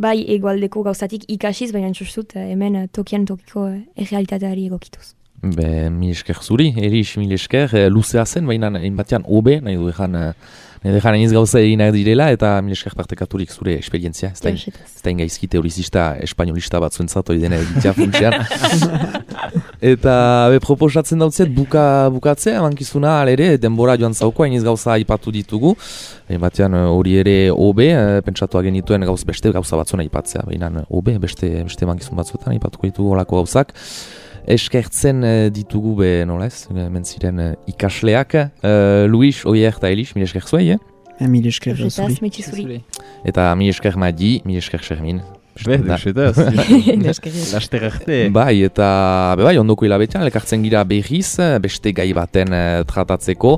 bai egoaldeko gauzatik ikasiz, baina sustut hemen tokian tokiko errealitateari egokituz. Mil esker zuri, Erix, mil esker, luzea zen, baina batean obe, nahi du Edejan eniz gauza eginak direla, eta mil esker partekaturik zure esperientzia. Ez da ingaizki teorizista, espainolista bat zuentzat, hori dena egitea funtsean. Eta proposatzen dautzet, bukatzea, mankizuna alere, denbora joan zauko, eniz gauza aipatu ditugu. Batean hori ere obe, pentsatu genituen beste gauza batzuna aipatzea. Baina obe, beste mankizun batzuetan aipatuko ditugu olako gauzak. Eskertzen ditugu nola ez, mentziren ikasleak. Luis, Oier eta Elix, mil esker zuei, Mil esker zuri. Eta mil esker Madi, mil esker Xermin. Duxetaz, laster arte. Bai, eta ondoko hilabetean, elkartzen gira berriz, beste gai baten tratatzeko,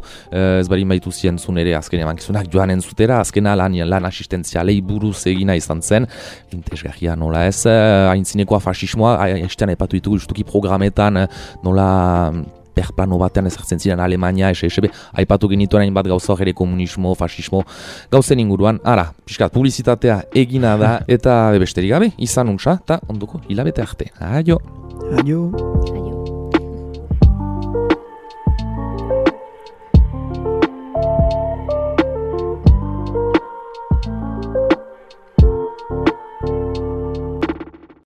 ez barin baitu zientzun ere azken emankizunak joan entzutera, azkena lan asistenzialei buruz egina izan zen, intesgarria nola ez, haintzinekoa fasismoa, haiztean epatu ditugu justuki programetan nola perplano batean ezartzen ziren Alemania, SSB, aipatu genituen hainbat gauza ere komunismo, fasismo, gauzen inguruan, ara, pixkat, publizitatea egina da, eta besterik gabe, izan untsa, eta ondoko hilabete arte. Aio! Aio!